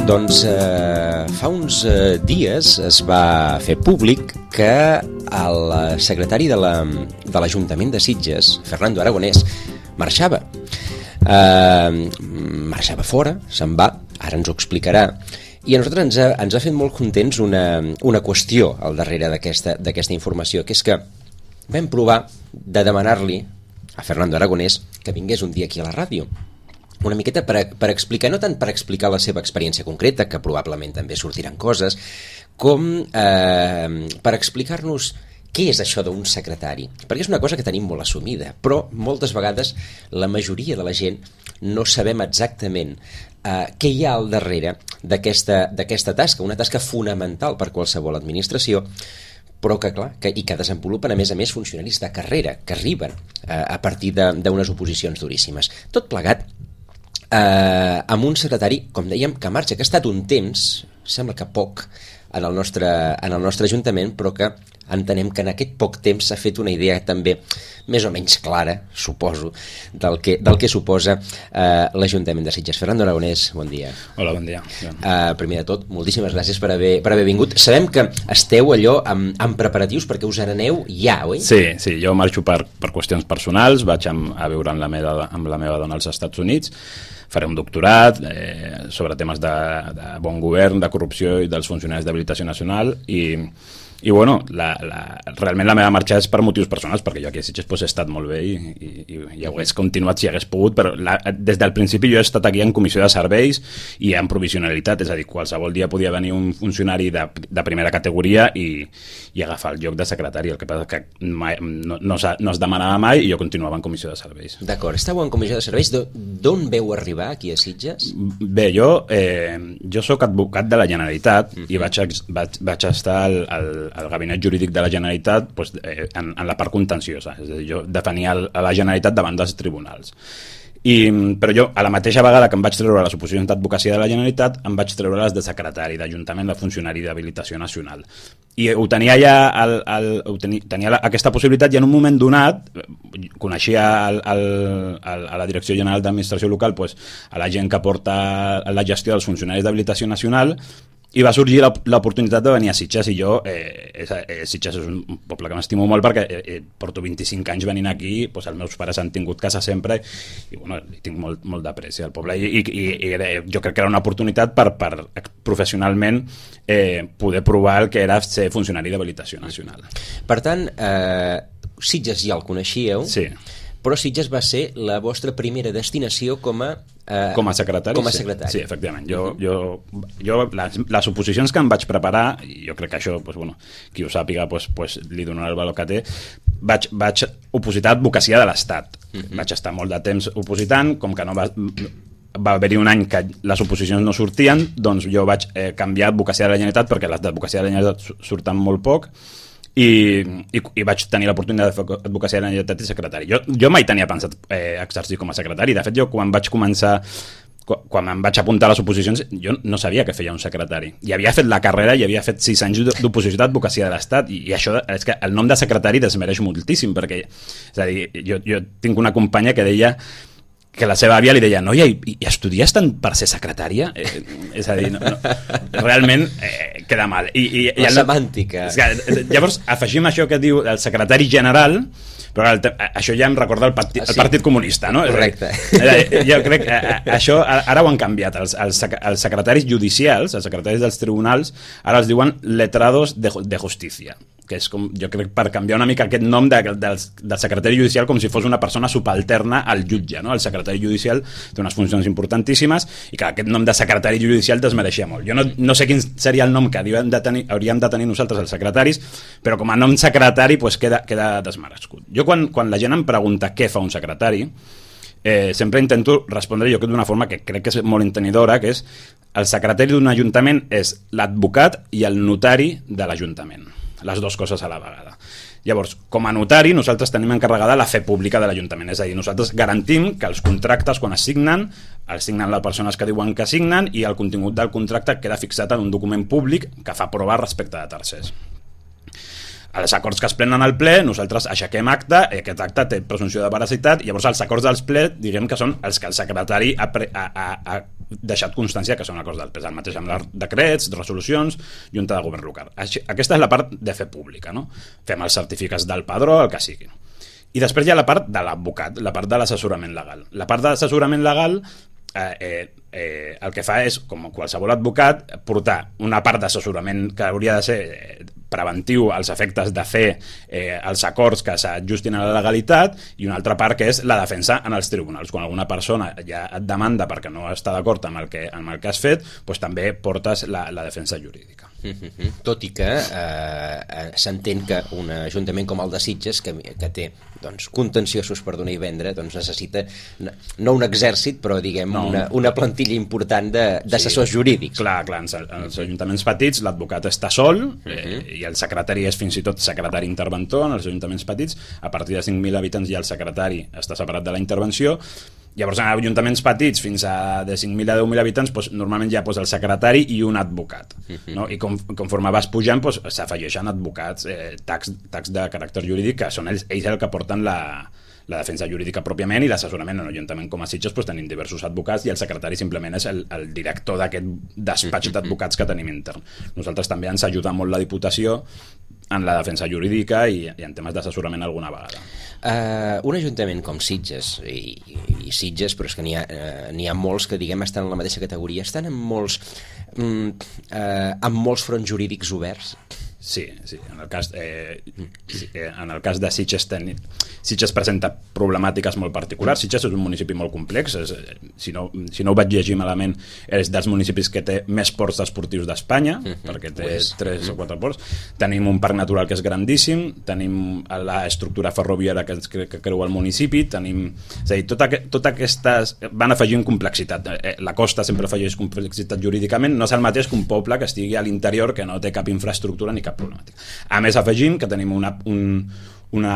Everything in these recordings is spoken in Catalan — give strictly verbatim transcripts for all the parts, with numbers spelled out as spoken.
Doncs eh, fa uns eh, dies es va fer públic que el secretari de l'Ajuntament de, de Sitges, Fernando Aragonès, marxava. Eh, marxava fora, se'n va, ara ens ho explicarà. I a nosaltres ens ha, ens ha fet molt contents una, una qüestió al darrere d'aquesta d'aquesta informació, que és que vam provar de demanar-li a Fernando Aragonès que vingués un dia aquí a la ràdio. Una miqueta per, per explicar, no tant per explicar la seva experiència concreta, que probablement també sortiran coses, com eh, per explicar-nos què és això d'un secretari. Perquè és una cosa que tenim molt assumida, però moltes vegades la majoria de la gent no sabem exactament eh, què hi ha al darrere d'aquesta d'aquesta tasca, una tasca fonamental per qualsevol administració, però que, clar, que, i que desenvolupen, a més a més, funcionaris de carrera, que arriben eh, a partir d'unes oposicions duríssimes. Tot plegat Eh, amb un secretari, com dèiem, que marxa, que ha estat un temps, sembla que poc, en el nostre, en el nostre Ajuntament, però que entenem que en aquest poc temps s'ha fet una idea també més o menys clara, suposo, del que, del que suposa eh, l'Ajuntament de Sitges. Fernando Aragonès, bon dia. Hola, bon dia. Eh, primer de tot, moltíssimes gràcies per haver, per haver vingut. Sabem que esteu allò amb, amb preparatius perquè us n'aneu ja, oi? Sí, sí, jo marxo per, per qüestions personals, vaig amb, a viure amb la, meva, amb la meva dona als Estats Units, faré un doctorat eh, sobre temes de, de bon govern, de corrupció i dels funcionaris d'habilitació nacional i, i bueno, la, la, realment la meva marxa és per motius personals, perquè jo aquí a Sitges pues, he estat molt bé i, i, i, i hagués continuat si hagués pogut, però la, des del principi jo he estat aquí en comissió de serveis i en provisionalitat, és a dir, qualsevol dia podia venir un funcionari de, de primera categoria i, i agafar el lloc de secretari, el que passa que mai, no, no, no es demanava mai i jo continuava en comissió de serveis. D'acord, estàveu en comissió de serveis, d'on veu arribar aquí a Sitges? Bé, jo, eh, jo soc advocat de la Generalitat uh-huh. i vaig, vaig, vaig estar al, al el gabinet jurídic de la Generalitat pues, eh, en, en la part contenciosa, és a dir, jo defenia el, a la Generalitat davant dels tribunals. I, però jo, a la mateixa vegada que em vaig treure les oposicions d'advocacia de la Generalitat, em vaig treure les de secretari d'Ajuntament, de funcionari d'habilitació nacional. I ho tenia ja, el, el, ho tenia, tenia la, aquesta possibilitat i en un moment donat coneixia el, el, el, a la Direcció General d'Administració Local pues, a la gent que porta la gestió dels funcionaris d'habilitació nacional i va sorgir l'oportunitat de venir a Sitges i jo, eh, eh, Sitges és un poble que m'estimo molt perquè eh, porto vint-i-cinc anys venint aquí, doncs els meus pares han tingut casa sempre i bueno, tinc molt, molt d'apreci al poble i, i, i jo crec que era una oportunitat per, per professionalment eh, poder provar el que era ser funcionari d'habilitació nacional. Per tant, eh, Sitges ja el coneixíeu, sí. Però Sitges va ser la vostra primera destinació com a eh, com a secretari, com a secretari. Sí, sí, efectivament. Jo, jo, jo les, les oposicions que em vaig preparar, i jo crec que això, pues, bueno, qui ho sàpiga pues, pues, li donarà el valor que té, vaig, vaig opositar advocacia de l'Estat. Uh-huh. Vaig estar molt de temps opositant, com que no va... va haver-hi un any que les oposicions no sortien, doncs jo vaig eh, canviar advocacia de la Generalitat perquè les d'advocacia de la Generalitat surten molt poc i, i, i vaig tenir l'oportunitat de fer advocacia de la Generalitat i secretari. Jo, jo mai tenia pensat eh, exercir com a secretari. De fet, jo quan vaig començar, quan em vaig apuntar a les oposicions, jo no sabia què feia un secretari. I havia fet la carrera i havia fet sis anys d'oposició d'advocacia de l'Estat i, i això és que el nom de secretari desmereix moltíssim perquè, és a dir, jo, jo tinc una companya que deia que la seva àvia li deia, noia, i, i estudies tant per ser secretària? Eh, és a dir, no, no, realment eh, queda mal. I, i, la i el, semàntica. Que, llavors, afegim això que diu el secretari general, però el, això ja em recorda el, parti, el Partit Comunista, no? Correcte. Dir, jo crec que això ara ho han canviat. Els, els, els secretaris judicials, els secretaris dels tribunals, ara els diuen letrados de, de justícia, que és com, jo crec, per canviar una mica aquest nom de, del, del secretari judicial com si fos una persona subalterna al jutge, no? El secretari judicial té unes funcions importantíssimes i que aquest nom de secretari judicial desmereixia molt. Jo no, no sé quin seria el nom que hauríem de tenir, hauríem de tenir nosaltres els secretaris, però com a nom secretari pues, queda, queda desmerescut. Jo quan, quan la gent em pregunta què fa un secretari, eh, sempre intento respondre jo d'una forma que crec que és molt entenedora, que és el secretari d'un ajuntament és l'advocat i el notari de l'ajuntament. Les dues coses a la vegada. Llavors, com a notari, nosaltres tenim encarregada la fe pública de l'Ajuntament, és a dir, nosaltres garantim que els contractes, quan es signen, els signen les persones que diuen que signen i el contingut del contracte queda fixat en un document públic que fa prova respecte de tercers. els acords que es prenen al ple, nosaltres aixequem acte, aquest acte té presumpció de veracitat, i llavors els acords dels ple, diguem que són els que el secretari ha, pre, ha, ha, ha deixat constància que són acords del ple, el mateix amb els decrets, resolucions, junta de govern local. Aquesta és la part de fer pública, no? Fem els certificats del padró, el que sigui. I després hi ha la part de l'advocat, la part de l'assessorament legal. La part de l'assessorament legal eh, eh, eh, el que fa és, com qualsevol advocat, portar una part d'assessorament que hauria de ser eh, preventiu als efectes de fer eh, els acords que s'ajustin a la legalitat, i una altra part que és la defensa en els tribunals. Quan alguna persona ja et demanda perquè no està d'acord amb el que, amb el que has fet, doncs també portes la, la defensa jurídica. Mm-hmm. Tot i que eh, s'entén que un ajuntament com el de Sitges, que, que té doncs, contenciosos per donar i vendre, doncs necessita no un exèrcit, però diguem no. una, una plantilla important d'assessors sí, jurídics. Clar, clar, en els ajuntaments petits l'advocat està sol, eh, i el secretari és fins i tot secretari interventor. En els ajuntaments petits, a partir de cinc mil habitants ja el secretari està separat de la intervenció. Llavors, en ajuntaments petits, fins a de cinc mil a deu mil habitants, doncs, normalment ja posa el secretari i un advocat. No? I com, conforme vas pujant, doncs, s'afegeixen advocats, eh, tacs, tacs de caràcter jurídic, que són ells, ells el que porten la, la defensa jurídica pròpiament, i l'assessorament. En un ajuntament com a Sitges doncs, tenim diversos advocats, i el secretari simplement és el, el director d'aquest despatx d'advocats que tenim intern. Nosaltres també ens ajuda molt la Diputació en la defensa jurídica i, i en temes d'assessorament alguna vegada. Uh, un ajuntament com Sitges, i, i Sitges, però és que n'hi ha, uh, n'hi ha molts que diguem estan en la mateixa categoria, estan en molts, um, uh, amb molts fronts jurídics oberts? Sí, sí. En el cas, eh, sí, en el cas de Sitges, ten... Sitges presenta problemàtiques molt particulars. Sitges és un municipi molt complex. És, si, no, si no ho vaig llegir malament, és dels municipis que té més ports esportius d'Espanya, uh-huh. perquè té pues, tres uh-huh. o quatre ports. Tenim un parc natural que és grandíssim, tenim l'estructura ferroviària que, que, que creu el municipi, tenim... És a dir, tot, aqu tot aquestes van afegint complexitat. La costa sempre afegeix complexitat jurídicament. No és el mateix que un poble que estigui a l'interior, que no té cap infraestructura ni cap problemàtica. A més, afegim que tenim una, un, una,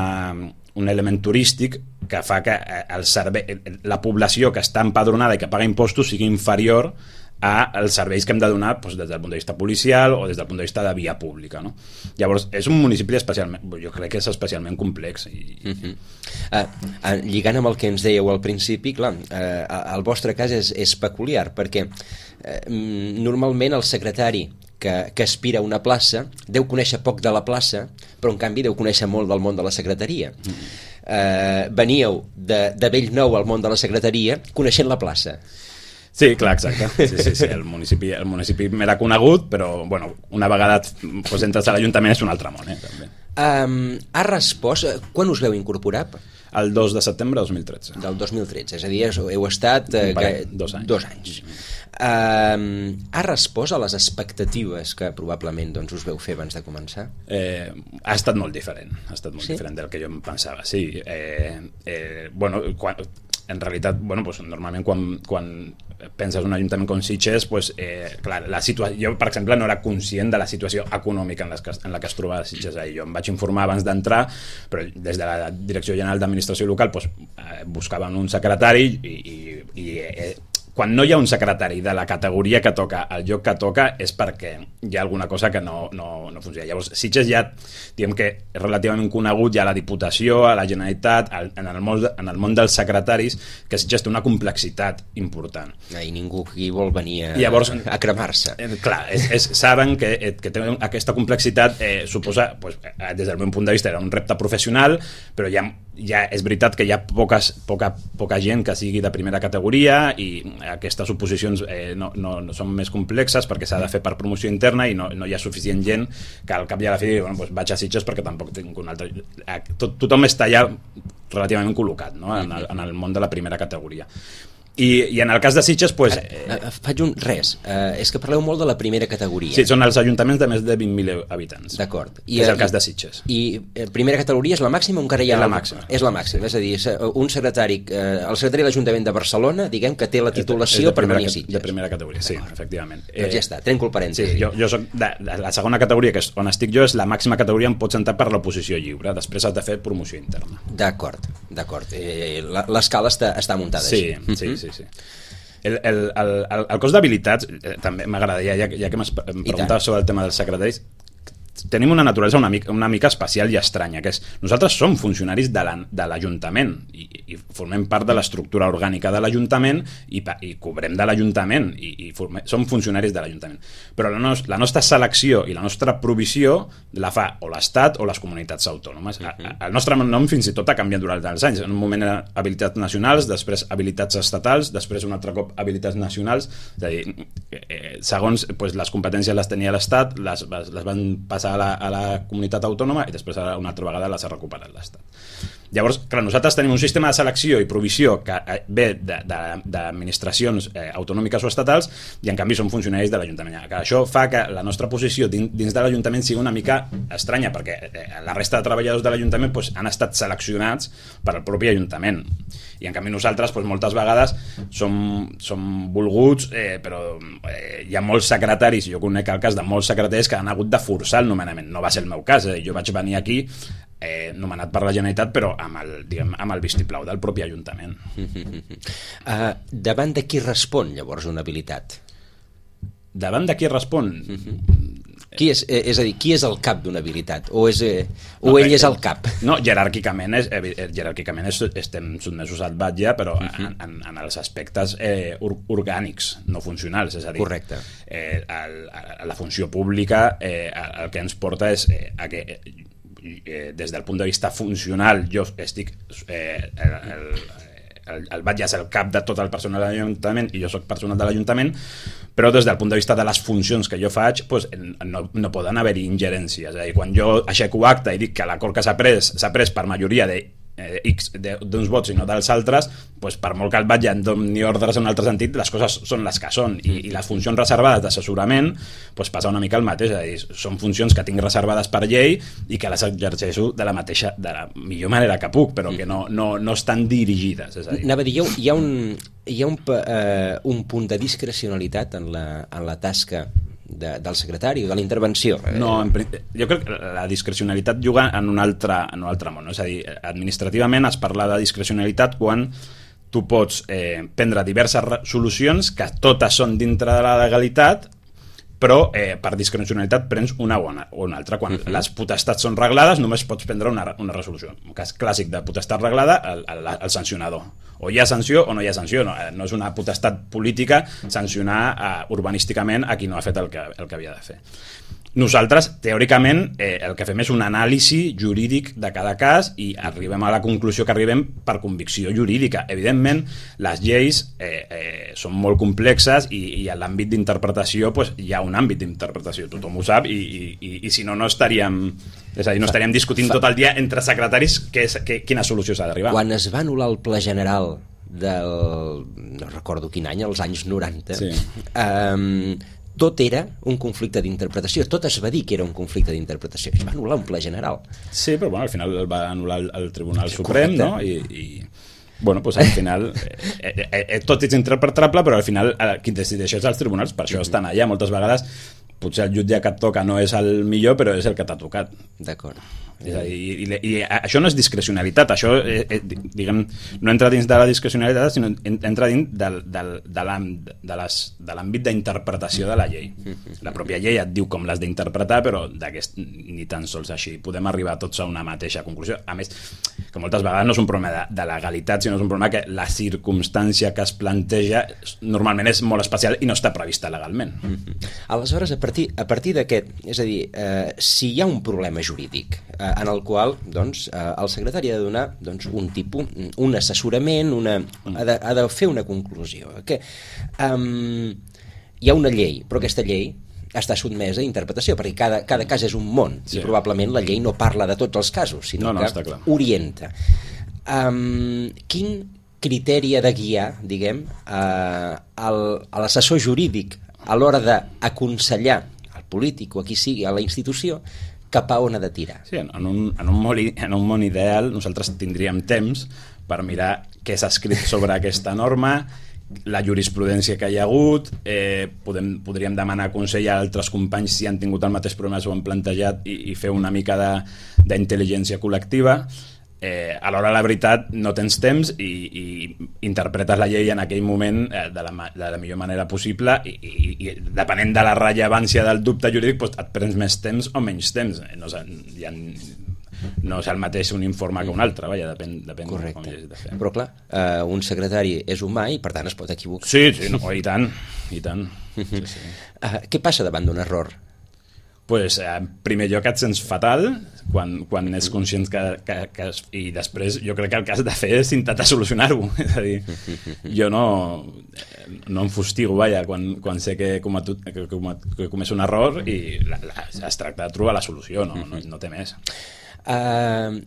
un element turístic que fa que el servei, la població que està empadronada i que paga impostos sigui inferior als serveis que hem de donar doncs, des del punt de vista policial o des del punt de vista de via pública. No? Llavors, és un municipi especialment, jo crec que és especialment complex. I, uh-huh. uh, uh, lligant amb el que ens dèieu al principi, clar, uh, el vostre cas és, és peculiar, perquè uh, normalment el secretari que, que aspira a una plaça deu conèixer poc de la plaça, però en canvi deu conèixer molt del món de la secretaria. Mm. Eh, veníeu de, de bell nou al món de la secretaria coneixent la plaça. Sí, clar, exacte. Sí, sí, sí. El municipi, el municipi m'era conegut, però bueno, una vegada pues, entres a l'Ajuntament és un altre món. Eh, també. Um, ha respost... Quan us veu incorporar? El dos de setembre de dos mil tretze. Del dos mil tretze, és a dir, heu estat... Eh, que, dos anys. Dos anys. Uh, ha respost a les expectatives que probablement doncs, us veu fer abans de començar? Eh, ha estat molt diferent, ha estat molt sí? diferent del que jo em pensava, sí. Eh, eh, bueno, quan, en realitat, bueno, pues, normalment quan, quan penses en un ajuntament com Sitges, pues, eh, clar, la situació, jo, per exemple, no era conscient de la situació econòmica en, les que, en la que es trobava Sitges. Eh, jo em vaig informar abans d'entrar, però des de la Direcció General d'Administració Local pues, eh, buscaven un secretari i, i, i eh, quan no hi ha un secretari de la categoria que toca, el lloc que toca, és perquè hi ha alguna cosa que no, no, no funciona. Llavors, Sitges ja, diguem que és relativament conegut ja a la Diputació, a la Generalitat, en el món, en el món dels secretaris, que Sitges té una complexitat important. I ningú qui vol venir a, llavors, a cremar-se. Eh, clar, és, és, saben que, que té aquesta complexitat, eh, suposa, pues, des del meu punt de vista, era un repte professional, però ja, ja és veritat que hi ha poques, poca, poca gent que sigui de primera categoria i aquestes oposicions eh, no, no, no són més complexes perquè s'ha de fer per promoció interna i no, no hi ha suficient gent que al cap i a la fi bueno, doncs vaig a Sitges perquè tampoc tinc un altre... Tot, tothom està ja relativament col·locat, no? en, el, en el món de la primera categoria. I, i en el cas de Sitges pues, Ara, eh, faig un res, eh, és que parleu molt de la primera categoria. Sí, són els ajuntaments de més de vint mil habitants. D'acord. És el cas de Sitges. I eh, primera categoria és la màxima o encara hi ha... És la màxima. És la màxima, és a dir, un secretari, eh, el secretari de l'Ajuntament de Barcelona, diguem que té la titulació per venir a Sitges. De primera categoria, sí, efectivament. Doncs ja està, trenco el parèntesi. Sí, jo, jo soc de, de la segona categoria, que és on estic jo, és la màxima categoria on pots entrar per l'oposició lliure, després has de fer promoció interna. D'acord, d'acord. Eh, l'escala està, està muntada sí, així. Sí, sí, sí, sí. El, el, el, el cos d'habilitats, eh, també m'agradaria, ja, ja que m'has preguntat sobre el tema dels secretaris, tenim una naturalesa una mica, una mica especial i estranya, que és, nosaltres som funcionaris de l'Ajuntament i, i formem part de l'estructura orgànica de l'Ajuntament i, i cobrem de l'Ajuntament i, i formem, som funcionaris de l'Ajuntament. Però la, nos, la nostra selecció i la nostra provisió la fa o l'Estat o les comunitats autònomes. Uh-huh. El nostre nom fins i tot ha canviat durant els anys. En un moment eren habilitats nacionals, després habilitats estatals, després un altre cop habilitats nacionals. És a dir, eh, segons pues, les competències les tenia l'Estat, les, les van passar a la, a la comunitat autònoma i després una altra vegada les ha recuperat l'Estat. Llavors, clar, nosaltres tenim un sistema de selecció i provisió que ve d'administracions eh, autonòmiques o estatals i en canvi som funcionaris de l'Ajuntament. Això fa que la nostra posició dins, dins de l'Ajuntament sigui una mica estranya perquè eh, la resta de treballadors de l'Ajuntament pues, han estat seleccionats per al propi Ajuntament i en canvi nosaltres pues, moltes vegades som, som volguts eh, però eh, hi ha molts secretaris, jo conec el cas de molts secretaris que han hagut de forçar el nomenament. No va ser el meu cas, eh? Jo vaig venir aquí eh, nomenat per la Generalitat però amb el, diguem, amb el vistiplau del propi Ajuntament. uh, Davant de qui respon llavors una habilitat? Davant de qui respon? Qui és, eh, és a dir, qui és el cap d'una habilitat? O, és, eh, o no, ell és el cap? No, jeràrquicament, és, eh, jeràrquicament és, estem sotmesos al batlle, però uh -huh. en, en, en els aspectes eh, or, orgànics, no funcionals. És a dir, correcte. Eh, el, a la funció pública eh, el que ens porta és eh, a que eh, des del punt de vista funcional jo estic... Eh, el, el, el, el batlle és el cap de tot el personal de l'Ajuntament i jo soc personal de l'Ajuntament, però des del punt de vista de les funcions que jo faig pues, no, no poden haver-hi ingerències. És a dir, quan jo aixeco acte i dic que l'acord que s'ha pres s'ha pres per majoria de eh, X d'uns vots i no dels altres, pues, per molt que el batlle en doni ordres en un altre sentit, les coses són les que són i, i les funcions reservades d'assessorament pues, passa una mica el mateix. És a dir, són funcions que tinc reservades per llei i que les exerceixo de la mateixa, de la millor manera que puc, però que no, no, no estan dirigides. És a dir, anava a dir, hi ha, hi ha un hi ha un, eh, un punt de discrecionalitat en la, en la tasca de, del secretari o de la intervenció? No, en, jo crec que la discrecionalitat juga en un altre, en un altre món. És a dir, administrativament es parla de discrecionalitat quan tu pots eh, prendre diverses solucions que totes són dintre de la legalitat, però eh, per discrecionalitat prens una bona o una altra. Quan uh-huh. les potestats són reglades només pots prendre una, una resolució. Un cas clàssic de potestat reglada, el, el, el sancionador. O hi ha sanció o no hi ha sanció. No, no és una potestat política sancionar eh, urbanísticament a qui no ha fet el que, el que havia de fer. Nosaltres, teòricament, eh, el que fem és un anàlisi jurídic de cada cas i arribem a la conclusió que arribem per convicció jurídica. Evidentment, les lleis eh, eh, són molt complexes i, i a l'àmbit d'interpretació pues, hi ha un àmbit d'interpretació, tothom ho sap, i, i, i, i si no, no estaríem... És a dir, no estaríem discutint tot el dia entre secretaris que és, que, quina solució s'ha d'arribar. Quan es va anul·lar el Pla General del... no recordo quin any, als anys noranta, sí. eh, tot era un conflicte d'interpretació, tot es va dir que era un conflicte d'interpretació, es va anul·lar un Pla General. Sí, però bueno, al final el va anul·lar el, el Tribunal Suprem, no? I, i bueno, pues al final eh, eh, eh, tot és interpretable, però al final eh, qui decideix és els tribunals, per això estan allà moltes vegades. Potser el jutge que et toca no és el millor, però és el que t'ha tocat. D'acord. És a dir, i, i, i això no és discrecionalitat, això eh, eh, diguem, no entra dins de la discrecionalitat, sinó entra dins del, del, de l'àmbit d'interpretació de la llei. La pròpia llei et diu com l'has d'interpretar, però ni tan sols així podem arribar tots a una mateixa conclusió. A més, que moltes vegades no és un problema de, de legalitat, sinó és un problema que la circumstància que es planteja normalment és molt especial i no està prevista legalment. Aleshores, a partir, a partir d'aquest, és a dir, eh, si hi ha un problema jurídic eh, en el qual doncs, eh, el secretari ha de donar doncs, un tipus, un assessorament, una, ha, de, ha de fer una conclusió. Que, um, hi ha una llei, però aquesta llei està sotmesa a interpretació, perquè cada, cada cas és un món, sí. I probablement la llei no parla de tots els casos, sinó no, no, que orienta. Um, quin criteri ha de guiar, diguem, uh, el, l'assessor jurídic a l'hora d'aconsellar al polític o a qui sigui, a la institució, cap a on ha de tirar? Sí, en un, en un, món, en un món ideal nosaltres tindríem temps per mirar què s'ha escrit sobre aquesta norma, la jurisprudència que hi ha hagut, eh, podem, podríem demanar consell a altres companys si han tingut el mateix problema, s'ho han plantejat i, i fer una mica d'intel·ligència col·lectiva. eh, a l'hora de la veritat no tens temps i, i interpretes la llei en aquell moment eh, de, la, de la millor manera possible i, i, i depenent de la rellevància del dubte jurídic doncs et prens més temps o menys temps. No, hi ha, no és el mateix un informe que un altre, vaja, depèn, depèn Correcte. Com hagis de fer. Però clar, eh, un secretari és humà i per tant es pot equivocar. Sí, sí, no, i tant, i tant. Sí, sí. Uh, què passa davant d'un error? Pues, en primer lloc et sents fatal quan, quan és conscient que, que, que es, i després jo crec que el que has de fer és intentar solucionar-ho. És a dir, jo no, no em fustigo, vaja, quan, quan sé que he cometut, que, que he comès un error i la, la, es tracta de trobar la solució, no, no, no té més. Uh,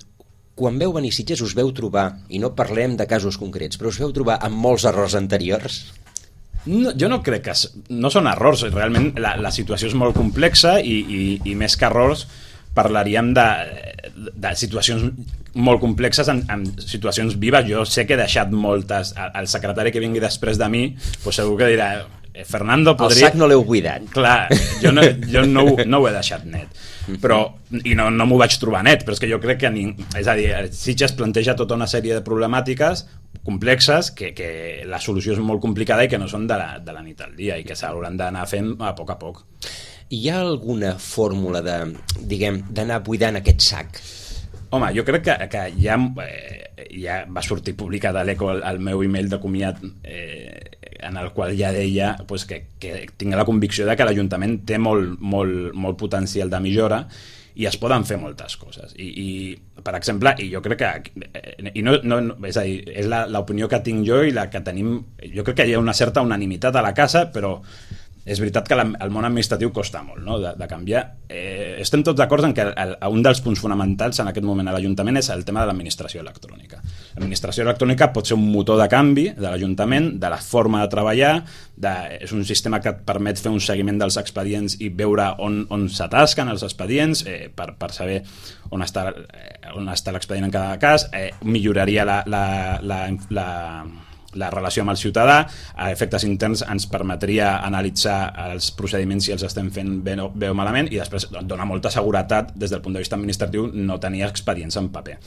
quan veu venir Sitges us veu trobar, i no parlem de casos concrets, però us veu trobar amb molts errors anteriors? No, jo no crec que... No són errors, realment la, la situació és molt complexa i, i, i més que errors parlaríem de, de situacions molt complexes en, en situacions vives. Jo sé que he deixat moltes... El secretari que vingui després de mi pues segur que dirà Fernando podria... El sac no l'heu buidat. Clar, jo no, jo no, no ho he deixat net. Però, i no, no m'ho vaig trobar net, però és que jo crec que... Ni, és a dir, Sitges planteja tota una sèrie de problemàtiques complexes que, que la solució és molt complicada i que no són de la, de la nit al dia i que s'hauran d'anar fent a poc a poc. Hi ha alguna fórmula de, diguem, d'anar buidant aquest sac? Home, jo crec que, que ja, eh, ja va sortir publicat a l'Eco el, el meu email de comiat eh, en el qual ja deia pues, que, que tinc la convicció de que l'Ajuntament té molt, molt, molt potencial de millora i es poden fer moltes coses i, i per exemple, i jo crec que i no, no, és a dir, és l'opinió que tinc jo i la que tenim, jo crec que hi ha una certa unanimitat a la casa, però és veritat que la, el món administratiu costa molt, no?, de, de canviar. Eh, estem tots d'acord en que el, un dels punts fonamentals en aquest moment a l'Ajuntament és el tema de l'administració electrònica. L'administració electrònica pot ser un motor de canvi de l'Ajuntament, de la forma de treballar, de, és un sistema que et permet fer un seguiment dels expedients i veure on, on s'atasquen els expedients, eh, per, per saber on està, eh, on està l'expedient en cada cas, eh, milloraria la... la, la, la la relació amb el ciutadà, a efectes interns ens permetria analitzar els procediments si els estem fent bé o, bé o malament i després dona molta seguretat des del punt de vista administratiu no tenir expedients en paper.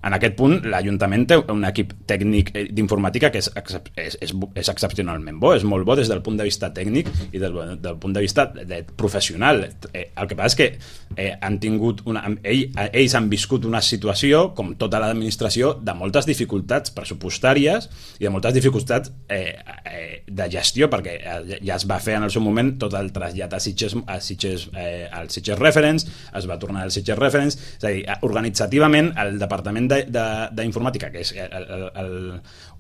En aquest punt, l'Ajuntament té un equip tècnic d'informàtica que és, és, és, és excepcionalment bo, és molt bo des del punt de vista tècnic i del, del punt de vista de, de professional. Eh, el que passa és que eh, han tingut una, ell, ells han viscut una situació, com tota l'administració, de moltes dificultats pressupostàries i de moltes dificultats eh, eh, de gestió, perquè ja es va fer en el seu moment tot el trasllat a Sitges, a Sitges, eh, al Sitges Reference, es va tornar al Sitges Reference, és a dir, organitzativament el Departament d'informàtica, que és, el, el, el,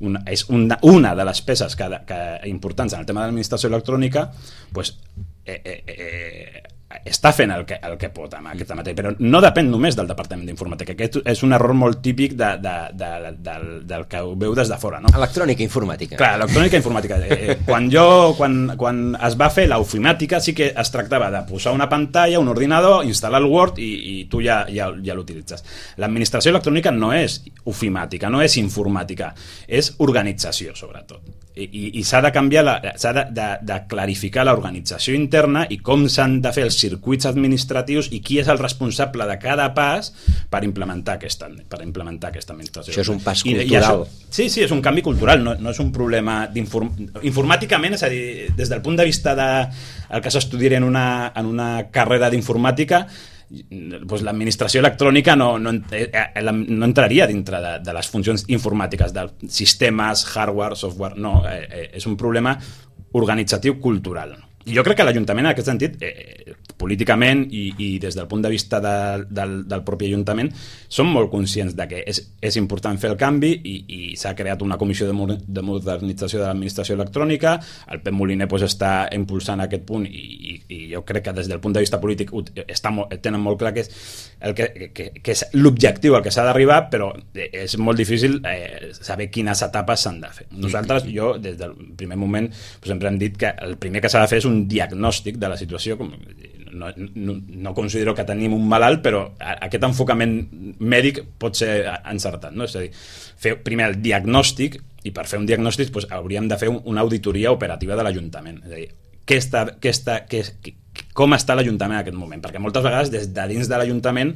una, és una, una de les peces que, que importants en el tema de l'administració electrònica, pues, eh, eh, eh, està fent el que, el que pot amb aquesta matèria, però no depèn només del Departament d'Informàtica. Aquest és un error molt típic de, de, de, de, del, del que ho veu des de fora, no? Electrònica informàtica. Clar, electrònica informàtica. Eh, quan jo, quan, quan es va fer l'ofimàtica sí que es tractava de posar una pantalla, un ordinador, instal·lar el Word i, i tu ja, ja, ja l'utilitzes. L'administració electrònica no és ofimàtica, no és informàtica, és organització, sobretot. I, i, i s'ha de canviar, la, s'ha de, de, de clarificar l'organització interna i com s'han de fer els circuits administratius i qui és el responsable de cada pas per implementar aquesta, per implementar aquesta administració. Això és un pas cultural. I, i això, sí, sí, és un canvi cultural, no, no és un problema d'inform... informàticament, és a dir, des del punt de vista de el que s'estudiaria en una, en una carrera d'informàtica, pues l'administració electrònica no, no, no entraria dintre de, de les funcions informàtiques, dels sistemes, hardware, software, no, eh, és un problema organitzatiu cultural. I jo crec que l'Ajuntament, en aquest sentit, eh, políticament i, i des del punt de vista de, del, del propi Ajuntament, són molt conscients de que és, és important fer el canvi i, i s'ha creat una comissió de, de modernització de l'administració electrònica, el Pep Moliner pues, està impulsant aquest punt i, i, i jo crec que des del punt de vista polític està molt, tenen molt clar que és, el que, que, que és l'objectiu al que s'ha d'arribar, però és molt difícil eh, saber quines etapes s'han de fer. Nosaltres, jo, des del primer moment, pues, sempre hem dit que el primer que s'ha de fer és un diagnòstic de la situació. No, no, no considero que tenim un malalt, però aquest enfocament mèdic pot ser encertat, no? És a dir, fer primer el diagnòstic i per fer un diagnòstic doncs, hauríem de fer una auditoria operativa de l'Ajuntament. És a dir, què està, què està, què, com està l'Ajuntament en aquest moment? Perquè moltes vegades des de dins de l'Ajuntament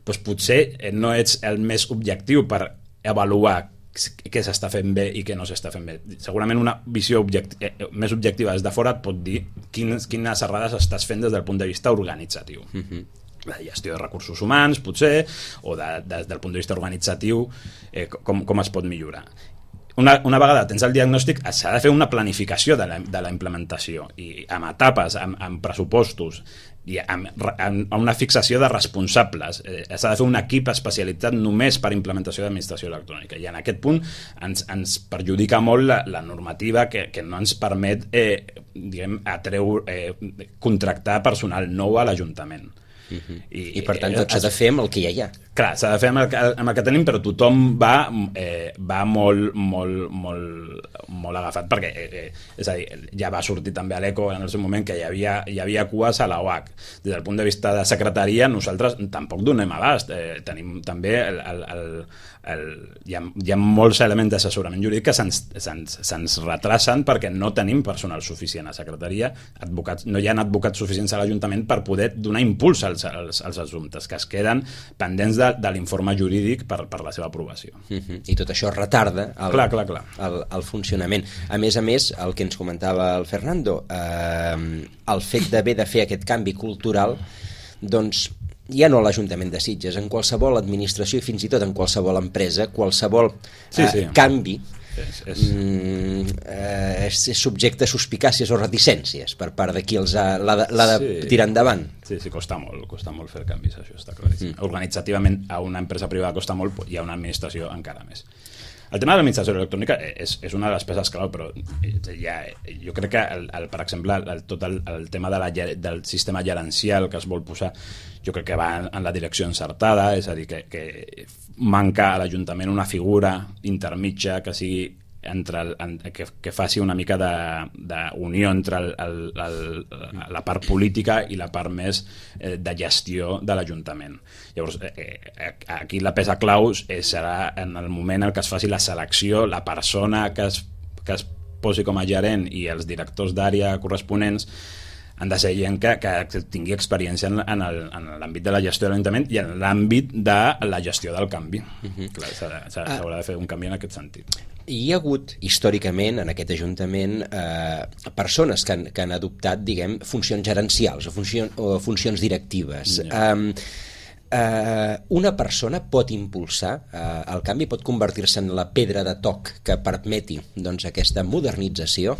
doncs potser no ets el més objectiu per avaluar què s'està fent bé i què no s'està fent bé. Segurament una visió objecti eh, més objectiva des de fora et pot dir quines, quines errades estàs fent des del punt de vista organitzatiu. Uh-huh. La gestió de recursos humans, potser, o de, de, des del punt de vista organitzatiu, eh, com, com es pot millorar. Una, una vegada tens el diagnòstic, s'ha de fer una planificació de la, de la implementació, i amb etapes, amb, amb pressupostos, i amb, amb una fixació de responsables. Eh, s'ha de fer un equip especialitzat només per implementació d'administració electrònica, i en aquest punt ens, ens perjudica molt la, la normativa que, que no ens permet eh, diguem, atreure, eh, contractar personal nou a l'Ajuntament. Uh-huh. I, I per tant tot s'ha de fer amb el que ja hi ha. Clar, s'ha de fer amb el, amb el que tenim, però tothom va, eh, va molt, molt, molt, molt agafat, perquè eh, eh, és a dir, ja va sortir també a l'Eco en el seu moment que hi havia, hi havia cues a la O A C. Des del punt de vista de secretaria, nosaltres tampoc donem abast. Eh, tenim també el, el, el, el, hi, ha, hi ha molts elements d'assessorament jurídic que se'ns, se'ns, se'ns retrasen perquè no tenim personal suficient a secretaria, advocats, no hi ha advocats suficients a l'Ajuntament per poder donar impuls als, als, als assumptes que es queden pendents de de, de l'informe jurídic per, per la seva aprovació. Uh-huh. I tot això retarda el, clar, clar, clar. El, el funcionament. A més a més, el que ens comentava el Fernando, eh, el fet d'haver de fer aquest canvi cultural, doncs ja no a l'Ajuntament de Sitges, en qualsevol administració i fins i tot en qualsevol empresa, qualsevol sí, sí. Eh, canvi és, és... Mm, eh, és, és subjecte a suspicàcies o reticències per part de qui els ha, l'ha de, l'ha de sí. tirar endavant. Sí, sí, costa molt, costa molt fer canvis, això està claríssim. Mm. Organitzativament a una empresa privada costa molt i a una administració encara més. El tema de l'administració electrònica és, és una de les peces clau, però ja, jo crec que, el, el, per exemple, el, tot el, el tema de la, del sistema gerencial que es vol posar, jo crec que va en, en la direcció encertada, és a dir, que, que manca a l'Ajuntament una figura intermitja que sigui entre el, en, que, que faci una mica d'unió entre el, el, el, la part política i la part més eh, de gestió de l'Ajuntament. Llavors, eh, eh, aquí la peça clau serà en el moment en què es faci la selecció, la persona que es, que es posi com a gerent i els directors d'àrea corresponents han de ser gent que, que tingui experiència en, en, el, en l'àmbit de la gestió de l'Ajuntament i en l'àmbit de la gestió del canvi. Uh-huh. Clar, s'haurà de fer un canvi en aquest sentit. Hi ha hagut, històricament, en aquest Ajuntament, eh, persones que han, que han adoptat, diguem, funcions gerencials o, funció, o funcions directives. Ja. Eh, eh, una persona pot impulsar eh, el canvi, pot convertir-se en la pedra de toc que permeti, doncs, aquesta modernització?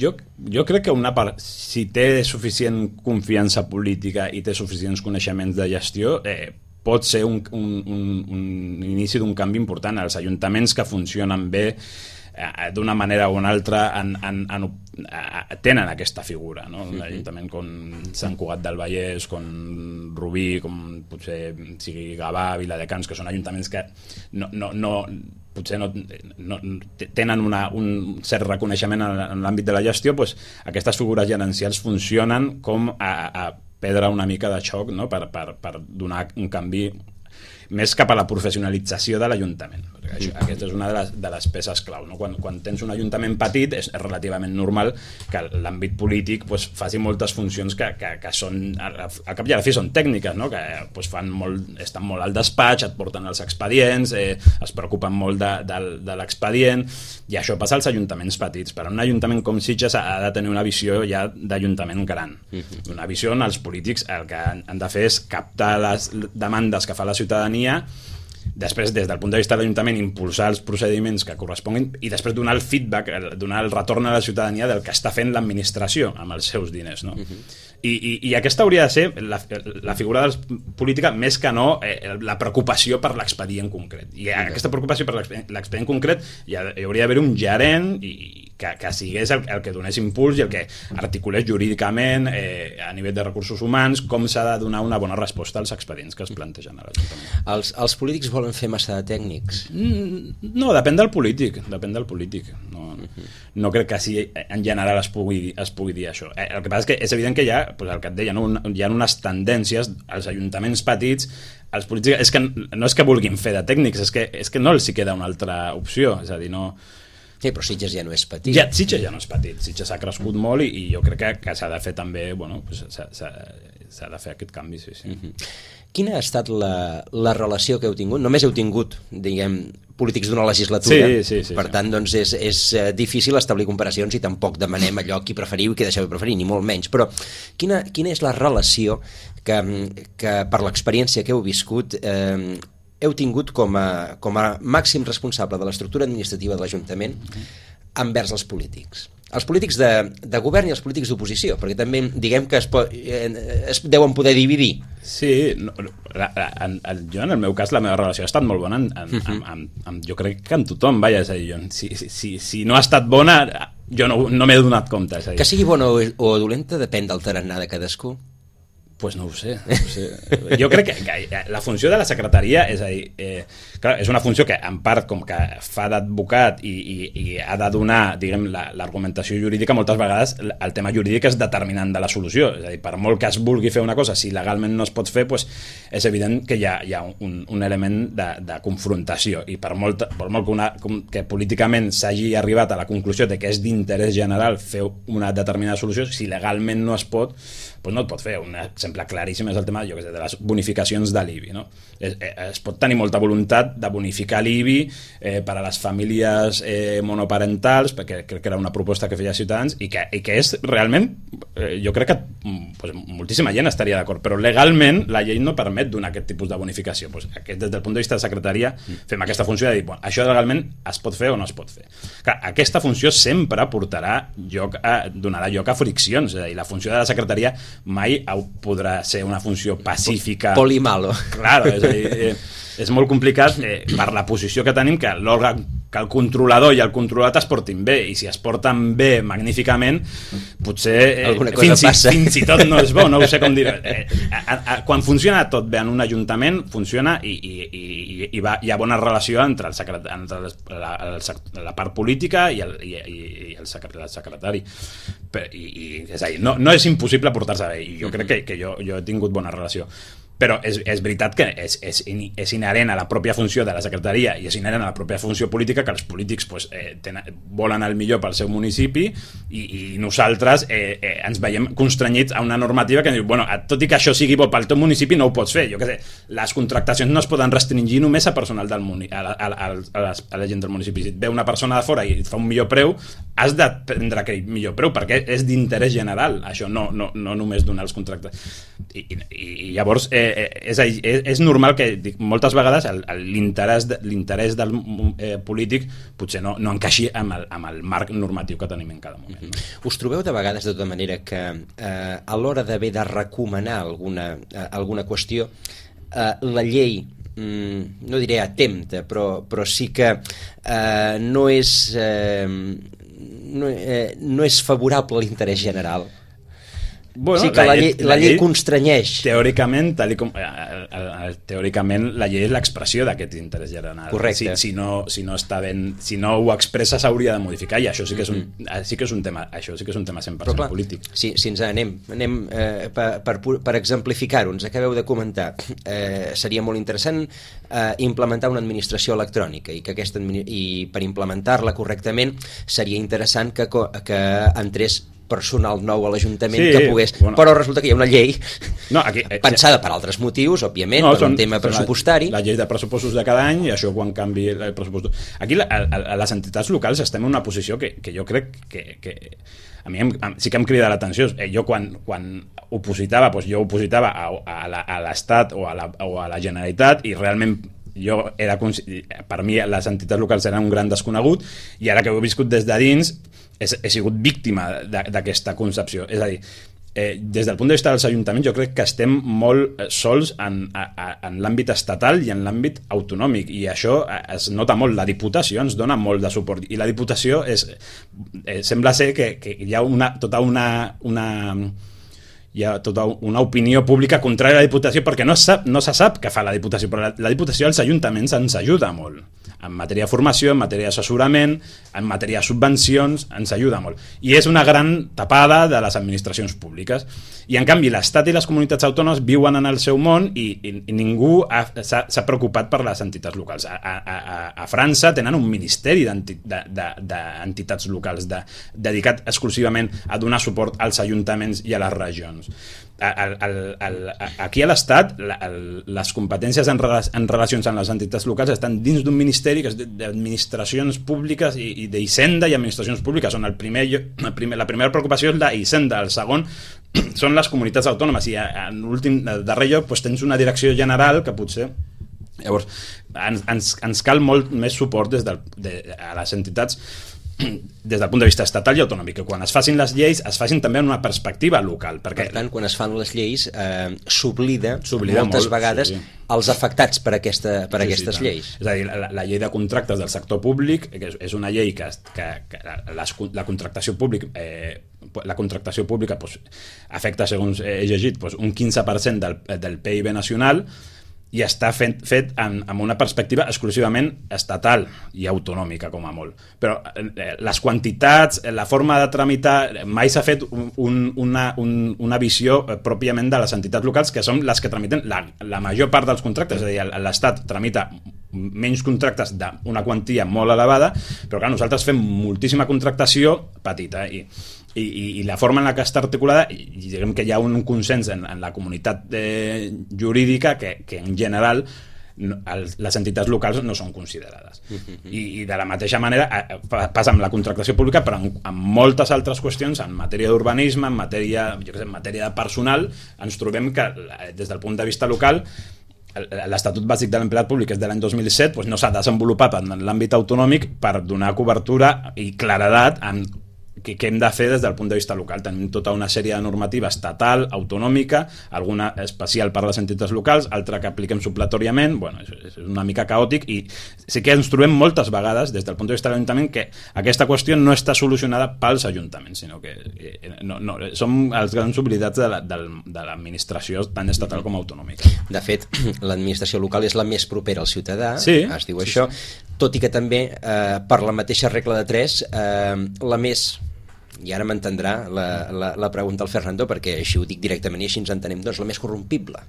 Jo, jo crec que una part, si té suficient confiança política i té suficients coneixements de gestió, eh, pot ser un, un, un, un inici d'un canvi important. Els ajuntaments que funcionen bé eh, d'una manera o una altra en, en, en, eh, tenen aquesta figura, no? Un ajuntament com Sant Cugat del Vallès, com Rubí, com potser sigui Gavà, Viladecans, que són ajuntaments que no, no, no potser no, no, tenen una, un cert reconeixement en, en l'àmbit de la gestió, doncs aquestes figures gerencials funcionen com a, a pedra una mica de xoc, no? per, per, per donar un canvi més cap a la professionalització de l'Ajuntament. Perquè això, aquesta és una de les, de les peces clau. No? Quan, quan tens un ajuntament petit és relativament normal que l'àmbit polític pues, faci moltes funcions que, que, que són, al cap i a la fi són tècniques, no? Que pues, fan molt, estan molt al despatx, et porten els expedients, eh, es preocupen molt de, de, de l'expedient, i això passa als ajuntaments petits. Però un ajuntament com Sitges ha de tenir una visió ja d'ajuntament gran. Una visió on els polítics el que han de fer és captar les demandes que fa la ciutadania, després des del punt de vista de l'Ajuntament impulsar els procediments que corresponguin i després donar el feedback, donar el retorn a la ciutadania del que està fent l'administració amb els seus diners, no? Uh-huh. I, i, i aquesta hauria de ser la, la figura política més que no eh, la preocupació per l'expedient concret, i okay. aquesta preocupació per l'expedient concret hi, ha, hi hauria d'haver un gerent i, que, que sigués el, el que donés impuls i el que articulés jurídicament eh, a nivell de recursos humans com s'ha de donar una bona resposta als expedients que es plantegen a l'Ajuntament. Els, els polítics volen fer massa de tècnics? Mm, no, depèn del polític, depèn del polític. No, no crec que sí, en general es pugui, es pugui dir això. Eh, el que passa és que és evident que hi ha, pues el que et deia, no? Hi ha unes tendències als ajuntaments petits, els polítics, és que no és que vulguin fer de tècnics, és que, és que no els hi queda una altra opció, és a dir, no... Sí, però Sitges ja no és petit. Ja, Sitges ja no és petit, Sitges ha crescut molt i, i jo crec que, que s'ha de fer també, bueno, pues, s'ha de fer aquest canvi, sí, sí. Uh-huh. Quina ha estat la, la relació que heu tingut? Només heu tingut, diguem, polítics d'una legislatura, sí, sí, sí, per sí. tant, doncs és, és difícil establir comparacions i tampoc demanem allò qui preferiu i qui deixeu de preferir, ni molt menys. Però quina, quina és la relació que, que per l'experiència que heu viscut eh, heu tingut com a, com a màxim responsable de l'estructura administrativa de l'Ajuntament envers els polítics? Els polítics de, de govern i els polítics d'oposició, perquè també diguem que es, po, eh, es deuen poder dividir. Sí, no, la, la, en, en, jo en el meu cas la meva relació ha estat molt bona, en, en, uh -huh. amb, amb, amb, jo crec que amb tothom, vaja, és a dir, jo, si, si, si no ha estat bona, jo no, no m'he donat compte. És a dir. Que sigui bona o, o dolenta depèn del tarannà de cadascú. Pues no ho sé, no ho sé. Jo crec que, que la funció de la secretaria, és a dir, eh, clar, és una funció que en part com que fa d'advocat i, i, i ha de donar, diguem, l'argumentació la, jurídica, moltes vegades el tema jurídic és determinant de la solució, és a dir, per molt que es vulgui fer una cosa, si legalment no es pot fer, pues, és evident que hi ha, hi ha un, un element de, de confrontació, i per molt, per molt que, una, que políticament s'hagi arribat a la conclusió de que és d'interès general fer una determinada solució, si legalment no es pot, pues no et pot fer. Un exemple claríssim és el tema, jo què sé, de les bonificacions de l'I B I, no? Es, es pot tenir molta voluntat de bonificar l'I B I eh, per a les famílies eh, monoparentals, perquè crec que era una proposta que feia Ciutadans, i que, i que és realment, eh, jo crec que pues, moltíssima gent estaria d'acord, però legalment la llei no permet donar aquest tipus de bonificació. Pues, aquest, des del punt de vista de secretaria, fem aquesta funció de dir, bueno, això legalment es pot fer o no es pot fer. Clar, aquesta funció sempre portarà lloc a, donarà lloc a friccions, és a dir, la funció de la secretaria mai podrà ser una funció pacífica. Polimalo. Claro, és a dir, eh, és molt complicat eh, per la posició que tenim, que l'òrgan, que el controlador i el controlat es portin bé, i si es porten bé magníficament, potser eh, fins, i, fins i tot no és bo, no ho sé com dir. Eh, a, a, quan funciona tot bé en un ajuntament, funciona i, i, i, i va, hi ha bona relació entre, el secret, entre la, el, la part política i el, i, i el, secret, el secretari. I, i, és a dir, no, no és impossible portar-se bé, i jo crec que, que jo, jo he tingut bona relació. Però és, és veritat que és, és, és inherent a la pròpia funció de la secretaria i és inherent a la pròpia funció política que els polítics pues, eh, tenen, volen el millor pel seu municipi i, i nosaltres eh, eh, ens veiem constrenyits a una normativa que diu, bueno, tot i que això sigui bo pel teu municipi no ho pots fer, jo què sé, les contractacions no es poden restringir només a personal del municipi, a, la, a, a, a, la, a la gent del municipi. Si et ve una persona de fora i et fa un millor preu, has de prendre aquell millor preu perquè és d'interès general, això no, no, no només donar els contractes. I, i, i llavors eh, És, és, és normal que dic, moltes vegades l'interès de, l'interès del eh, polític potser no, no encaixi amb el, amb el marc normatiu que tenim en cada moment. No? Us trobeu de vegades de tota manera que eh, a l'hora d'haver de recomanar alguna, eh, alguna qüestió eh, la llei mm, no diré atempta però, però sí que eh, no és eh, no, eh, no és favorable a l'interès general? Bueno, sí que la, la, llei, la, la llei constrenyeix. Teòricament, tal com, eh, teòricament la llei és l'expressió d'aquest interès general. Correcte. Si, si, no, si, no està ben, si no ho expressa s'hauria de modificar i això sí que és un, mm-hmm. sí que és un tema, això sí que és un tema cent per cent clar, polític. Si, si ens anem, anem eh, per, per, per exemplificar-ho, ens acabeu de comentar, eh, seria molt interessant eh, implementar una administració electrònica i que aquesta i per implementar-la correctament seria interessant que, que entrés personal nou a l'Ajuntament sí, que pogués... Bueno, però resulta que hi ha una llei no, aquí, eh, pensada per altres motius, òbviament, no, per són, un tema pressupostari. La, la llei de pressupostos de cada any i això quan canvi el pressupost... Aquí la, a, a les entitats locals estem en una posició que, que jo crec que, que a mi em, sí que em crida l'atenció. Eh, jo quan, quan opositava, doncs jo opositava a, a l'Estat o, a la, o a la Generalitat i realment jo era, per mi les entitats locals eren un gran desconegut i ara que ho he viscut des de dins he, he sigut víctima d'aquesta concepció. És a dir, eh, des del punt de vista dels ajuntaments jo crec que estem molt sols en, a, en l'àmbit estatal i en l'àmbit autonòmic i això es nota molt. La Diputació ens dona molt de suport i la Diputació és, eh, sembla ser que, que hi ha una, tota una... una hi ha tota una opinió pública contrària a la Diputació perquè no, sap, no se sap què fa la Diputació, però la, la Diputació als ajuntaments ens ajuda molt en matèria de formació, en matèria d'assessorament, en matèria de subvencions, ens ajuda molt. I és una gran tapada de les administracions públiques. I en canvi l'Estat i les comunitats autònomes viuen en el seu món i, i, i ningú s'ha preocupat per les entitats locals. A, a, a, a França tenen un ministeri d'entitats locals de, dedicat exclusivament a donar suport als ajuntaments i a les regions. el, el, el, aquí a l'Estat la, el, les competències en, rela, en relacions amb les entitats locals estan dins d'un ministeri que és d'administracions públiques i, i d'Hisenda i administracions públiques, on el primer, el primer, la primera preocupació és la Hisenda, el segon són les comunitats autònomes i en l'últim, darrer lloc doncs, tens una direcció general que potser llavors ens, ens, ens cal molt més suport des del, de, a les entitats des del punt de vista estatal i autonòmic, que quan es facin les lleis es facin també en una perspectiva local. Perquè... Per tant, quan es fan les lleis eh, s'oblida moltes molt, vegades sí, sí. els afectats per, aquesta, per sí, aquestes sí, lleis. És a dir, la, la llei de contractes del sector públic que és, és una llei que, que, que les, la contractació pública eh, la contractació pública pues, afecta, segons he llegit, pues, un quinze per cent del, del P I B nacional i està fet, fet amb, amb una perspectiva exclusivament estatal i autonòmica, com a molt. Però eh, les quantitats, la forma de tramitar, mai s'ha fet un, un, una, un, una visió eh, pròpiament de les entitats locals, que són les que tramiten la, la major part dels contractes. És a dir, l'Estat tramita menys contractes d'una quantia molt elevada, però clar, nosaltres fem moltíssima contractació petita i I, i, i la forma en la que està articulada i diguem que hi ha un consens en, en la comunitat eh, jurídica que, que en general no, els, les entitats locals no són considerades. Uh-huh. I, i de la mateixa manera eh, passa amb la contractació pública, però en, en moltes altres qüestions, en matèria d'urbanisme, en matèria, jo què sé, en matèria de personal, ens trobem que des del punt de vista local l'Estatut Bàsic de l'Empleat Públic, que és de l'any dos mil set, doncs no s'ha desenvolupat en l'àmbit autonòmic per donar cobertura i claredat en que, que hem de fer des del punt de vista local. Tenim tota una sèrie de normativa estatal, autonòmica, alguna especial per a les entitats locals, altra que apliquem supletòriament. Bueno, és, és una mica caòtic i sí que ens trobem moltes vegades des del punt de vista de l'Ajuntament que aquesta qüestió no està solucionada pels ajuntaments, sinó que eh, no, no, som els grans oblidats de, la, de, de l'administració tant estatal com autonòmica. De fet, l'administració local és la més propera al ciutadà, sí, es diu sí, això, sí. Tot i que també, eh, per la mateixa regla de tres, eh, la més... I ara m'entendrà la, la, la pregunta al Fernando, perquè així ho dic directament i així ens entenem, doncs la més corrompible.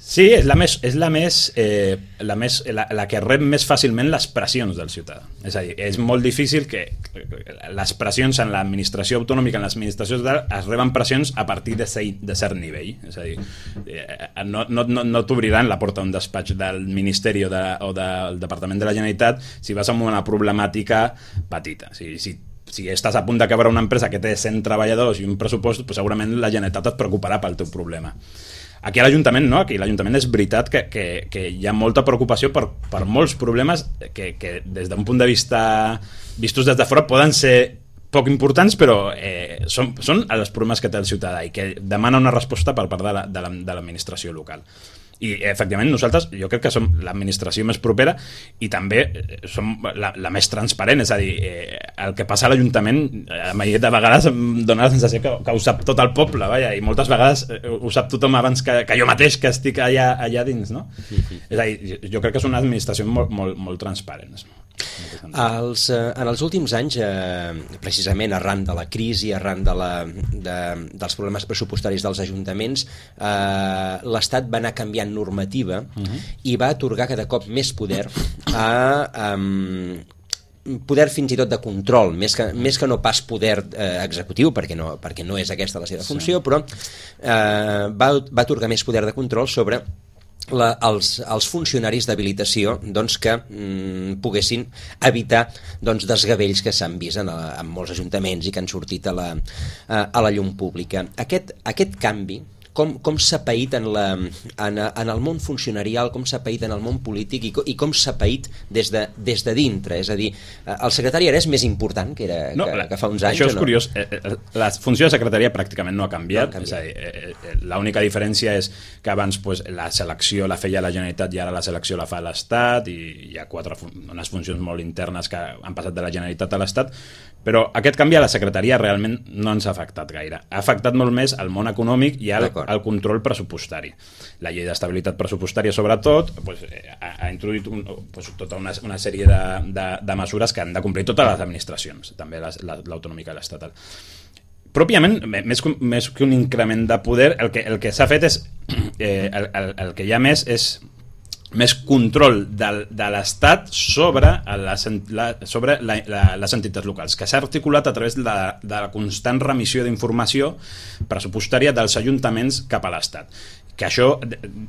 Sí, és la més, és la més, eh, la, més la, la que rep més fàcilment les pressions del ciutadà. És a dir, és molt difícil que les pressions en l'administració autonòmica, en l'administració estatal, es reben pressions a partir de, ser, de cert nivell. És a dir, no, no, no, no t'obriran la porta d'un despatx del Ministeri o, de, o del Departament de la Generalitat si vas amb una problemàtica petita. Si, si si estàs a punt de quebrar una empresa que té cent treballadors i un pressupost, doncs segurament la Generalitat et preocuparà pel teu problema. Aquí a l'Ajuntament no, aquí a l'Ajuntament és veritat que, que, que hi ha molta preocupació per, per molts problemes que, que des d'un punt de vista vistos des de fora poden ser poc importants, però eh, són, són els problemes que té el ciutadà i que demana una resposta per part de, la, de, la, de l'administració local. I efectivament nosaltres jo crec que som l'administració més propera i també som la, la més transparent, és a dir, eh, el que passa a l'Ajuntament a mi de vegades em dona la sensació que, que ho sap tot el poble, vaja, i moltes vegades ho sap tothom abans que, que jo mateix que estic allà, allà dins, no? Mm-hmm. És a dir, jo crec que és una administració molt, molt, molt transparent. Els, eh, en els últims anys, eh, precisament arran de la crisi, arran de la, de, dels problemes pressupostaris dels ajuntaments, eh, l'Estat va anar canviant normativa uh-huh. i va atorgar cada cop més poder a... Um, poder fins i tot de control, més que, més que no pas poder eh, executiu, perquè no, perquè no és aquesta la seva funció, sí. però eh, va, va atorgar més poder de control sobre La, els, els funcionaris d'habilitació doncs, que mm, poguessin evitar doncs, desgavells que s'han vist en, a, en molts ajuntaments i que han sortit a la, a, a la llum pública. Aquest, aquest canvi, com, com s'ha paït en, la, en, en el món funcionarial, com s'ha paït en el món polític i, i com s'ha paït des de, des de dintre? És a dir, el secretari ara és més important que, era, no, que, la, que fa uns anys? Això és no? curiós. La funció de secretaria pràcticament no ha canviat. No ha canviat. És a dir, l'única diferència és que abans pues, la selecció la feia la Generalitat i ara la selecció la fa l'Estat i hi ha quatre, unes funcions molt internes que han passat de la Generalitat a l'Estat, però aquest canvi a la secretaria realment no ens ha afectat gaire. Ha afectat molt més el món econòmic i el, el control pressupostari. La llei d'estabilitat pressupostària, sobretot, pues, ha, ha introduït un, pues, tota una, una sèrie de, de, de mesures que han de complir totes les administracions, també les, la, l'autonòmica i l'estatal. Pròpiament, més, més que un increment de poder, el que, el que s'ha fet és... Eh, el, el, el que hi ha més és més control de, de l'Estat sobre, les, la, sobre la, la, les entitats locals, que s'ha articulat a través de la, de la constant remissió d'informació pressupostària dels ajuntaments cap a l'Estat. Que això,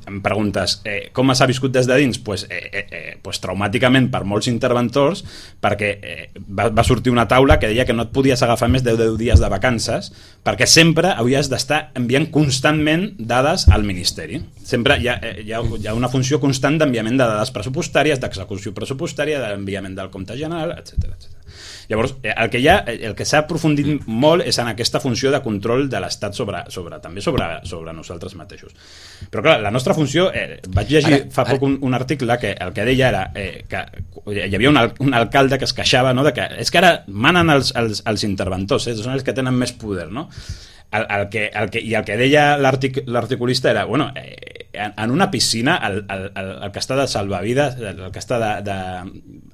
em preguntes, eh, com s'ha viscut des de dins? Pues, eh, eh, pues traumàticament per molts interventors, perquè eh, va, va sortir una taula que deia que no et podies agafar més de deu dies de vacances, perquè sempre havies d'estar enviant constantment dades al Ministeri. Sempre hi ha, hi ha, hi ha una funció constant d'enviament de dades pressupostàries, d'execució pressupostària, d'enviament del compte general, etcètera, etcètera. Llavors, el que, ha, el que s'ha aprofundit molt és en aquesta funció de control de l'Estat sobre, sobre, també sobre, sobre nosaltres mateixos. Però clar, la nostra funció, eh, vaig llegir ara, fa ara. poc un, un article que el que deia era eh, que hi havia un, un alcalde que es queixava, no, de que és que ara manen els, els, els interventors, eh, són els que tenen més poder, no? El, el que, el que, I el que deia l'artic, l'articulista era, bueno, eh, en, en una piscina el, el, el, el que està de salvavides, el que està de, de,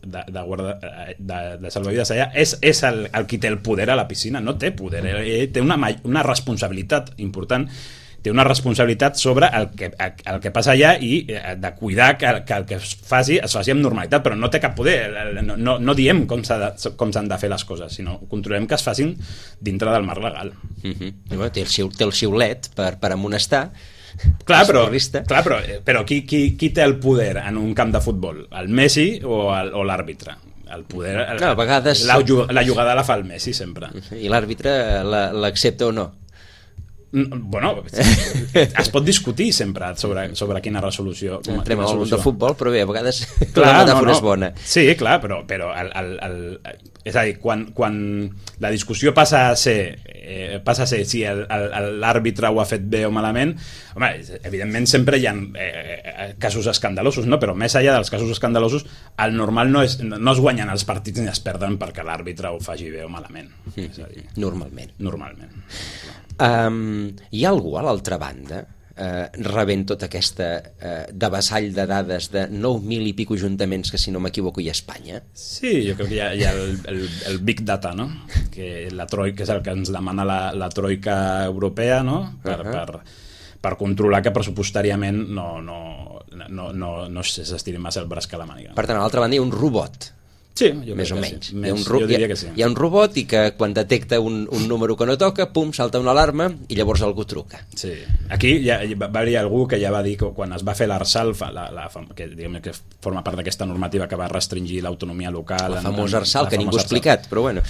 de, de, guarda, de, de salvavides allà, és, és el, el qui té el poder a la piscina, no té poder, eh, té una, una responsabilitat important, té una responsabilitat sobre el que, el que passa allà i de cuidar que, que el que es faci es faci amb normalitat, però no té cap poder, no, no, no diem com, s'ha de, com s'han de fer les coses, sinó controlem que es facin dintre del marc legal. Mm-hmm. Bueno, té, el xiu, té el xiulet per, per amonestar. Clar, però, clar, però, però qui, qui, qui té el poder en un camp de futbol? El Messi o, el, o l'àrbitre? El poder, el, clar, a vegades... la, la jugada la fa el Messi sempre. I l'àrbitre l'accepta o no? Bueno, es pot discutir sempre sobre, sobre quina resolució. Entrem al món de futbol, però bé, a vegades clar, la metàfora no, no. és bona. Sí, clar, però, però el, el, el, és a dir, quan, quan la discussió passa a ser eh, passa a ser si el, el, l'àrbitre ho ha fet bé o malament, home, evidentment sempre hi ha eh, casos escandalosos, no? Però més enllà dels casos escandalosos, el normal no, és, no es guanyen els partits ni es perden perquè l'àrbitre ho faci bé o malament. Mm. És a dir, normalment. Normalment. Um, hi ha algú a l'altra banda eh, rebent tota aquesta eh, devessall de dades de nou mil i pico ajuntaments que, si no m'equivoco, hi ha a Espanya? Sí, jo crec que hi ha, hi ha el, el, el Big Data, no? Que, la troika, és el que ens demana la, la troika europea, no? Per, uh-huh. per, per controlar que pressupostàriament no, no, no, no, no s'estiri massa el braç que la màniga. Per tant, a l'altra banda hi ha un robot. Sí, més o menys. Sí. Més, hi ha un ro- jo diria que sí. Hi ha un robot i que quan detecta un, un número que no toca, pum, salta una alarma i llavors algú truca. Sí. Aquí ja, va haver-hi algú que ja va dir que quan es va fer l'Arsal, la, la, que, diguem, que forma part d'aquesta normativa que va restringir l'autonomia local... La famosa Arsal, que ningú ha explicat, però bueno,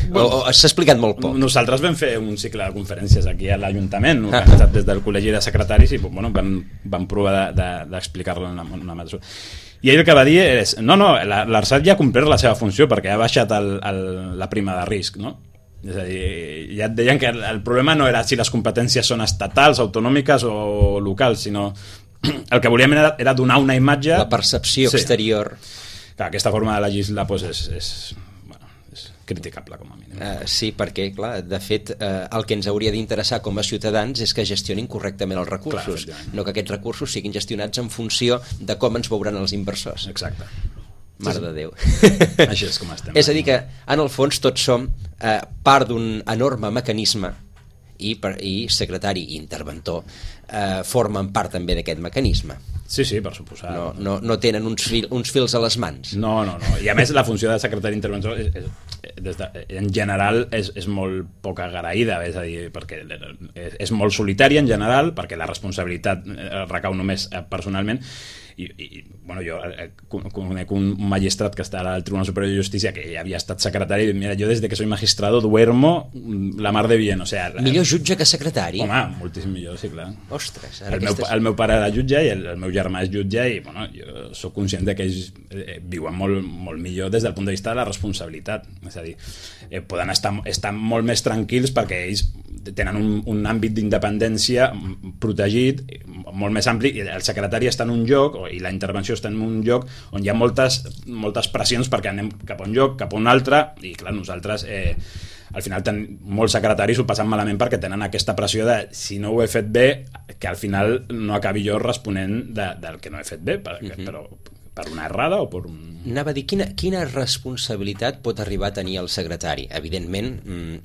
bueno o, o, s'ha explicat molt poc. Nosaltres vam fer un cicle de conferències aquí a l'Ajuntament, organitzat ah. des del Col·legi de Secretaris, i bueno, vam, vam provar d'explicar-lo de, de, en una mesura. I ell el que va dir és, no, no, l'Arsat ja ha complert la seva funció perquè ha baixat el, el, la prima de risc, no? És a dir, ja et deien que el, el problema no era si les competències són estatals, autonòmiques o locals, sinó el que volíem era, era donar una imatge... La percepció sí. exterior. Clar, aquesta forma de legislar pues, és, és, bueno, és criticable, com a mínim. Uh, sí, perquè, clar, de fet, uh, el que ens hauria d'interessar com a ciutadans és que gestionin correctament els recursos, clar, no que aquests recursos siguin gestionats en funció de com ens veuran els inversors. Exacte. Mare sí, de Déu. Així és com estem. És a dir que, en el fons, tots som uh, part d'un enorme mecanisme i, per, i secretari i interventor eh, formen part també d'aquest mecanisme. Sí, sí, per suposar. No, no, no tenen uns, fil, uns fils a les mans. No, no, no. I a més la funció de secretari interventor és, és, des de, en general és, és molt poc agraïda, és a dir, perquè és, és molt solitària en general, perquè la responsabilitat recau només personalment. I, i bueno, jo conec un magistrat que està al Tribunal Superior de Justícia que ja havia estat secretari i mira, jo des de que soy magistrado duermo la mar de bien, o sea... Millor jutge que secretari? Home, moltíssim millor, sí, clar. Ostres, ara el, meu, el meu pare era jutge i el, el meu germà és jutge i bueno, jo soc conscient de que ells eh, viuen molt, molt millor des del punt de vista de la responsabilitat, és a dir, eh, poden estar, estar molt més tranquils perquè ells tenen un, un àmbit d'independència protegit, molt més ampli, i el secretari està en un lloc, i la intervenció està en un lloc on hi ha moltes, moltes pressions perquè anem cap a un lloc, cap a un altre, i clar, nosaltres eh, al final ten, molts secretaris ho passen malament perquè tenen aquesta pressió de si no ho he fet bé, que al final no acabi jo responent de, del que no he fet bé, perquè, uh-huh. però per una errada o per un... Anava a dir, quina, quina responsabilitat pot arribar a tenir el secretari? Evidentment,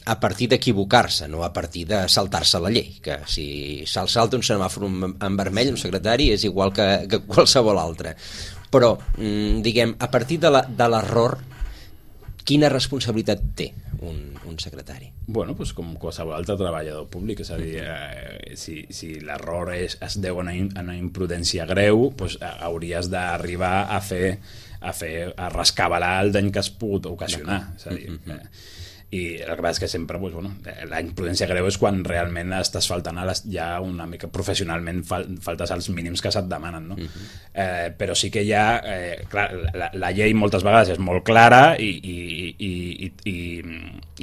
a partir d'equivocar-se, no a partir de saltar-se la llei, que si se'l salta un semàfor en vermell, un secretari és igual que, que qualsevol altre. Però, diguem, a partir de l'error, quina responsabilitat té un, un secretari? Bueno, pues com qualsevol altre treballador públic, és a dir, eh, si, si l'error es, es deu a una, a una imprudència greu, pues, hauries d'arribar a fer, a fer, a rescabalar el dany que has pogut ocasionar, és a dir... Eh, i el que passa és que sempre pues, bueno, la imprudència greu és quan realment estàs faltant a les, ja una mica professionalment fal, faltes als mínims que se't demanen, no? Uh-huh. eh, però sí que hi ha eh, clar, la, la llei moltes vegades és molt clara i, i, i, i, i,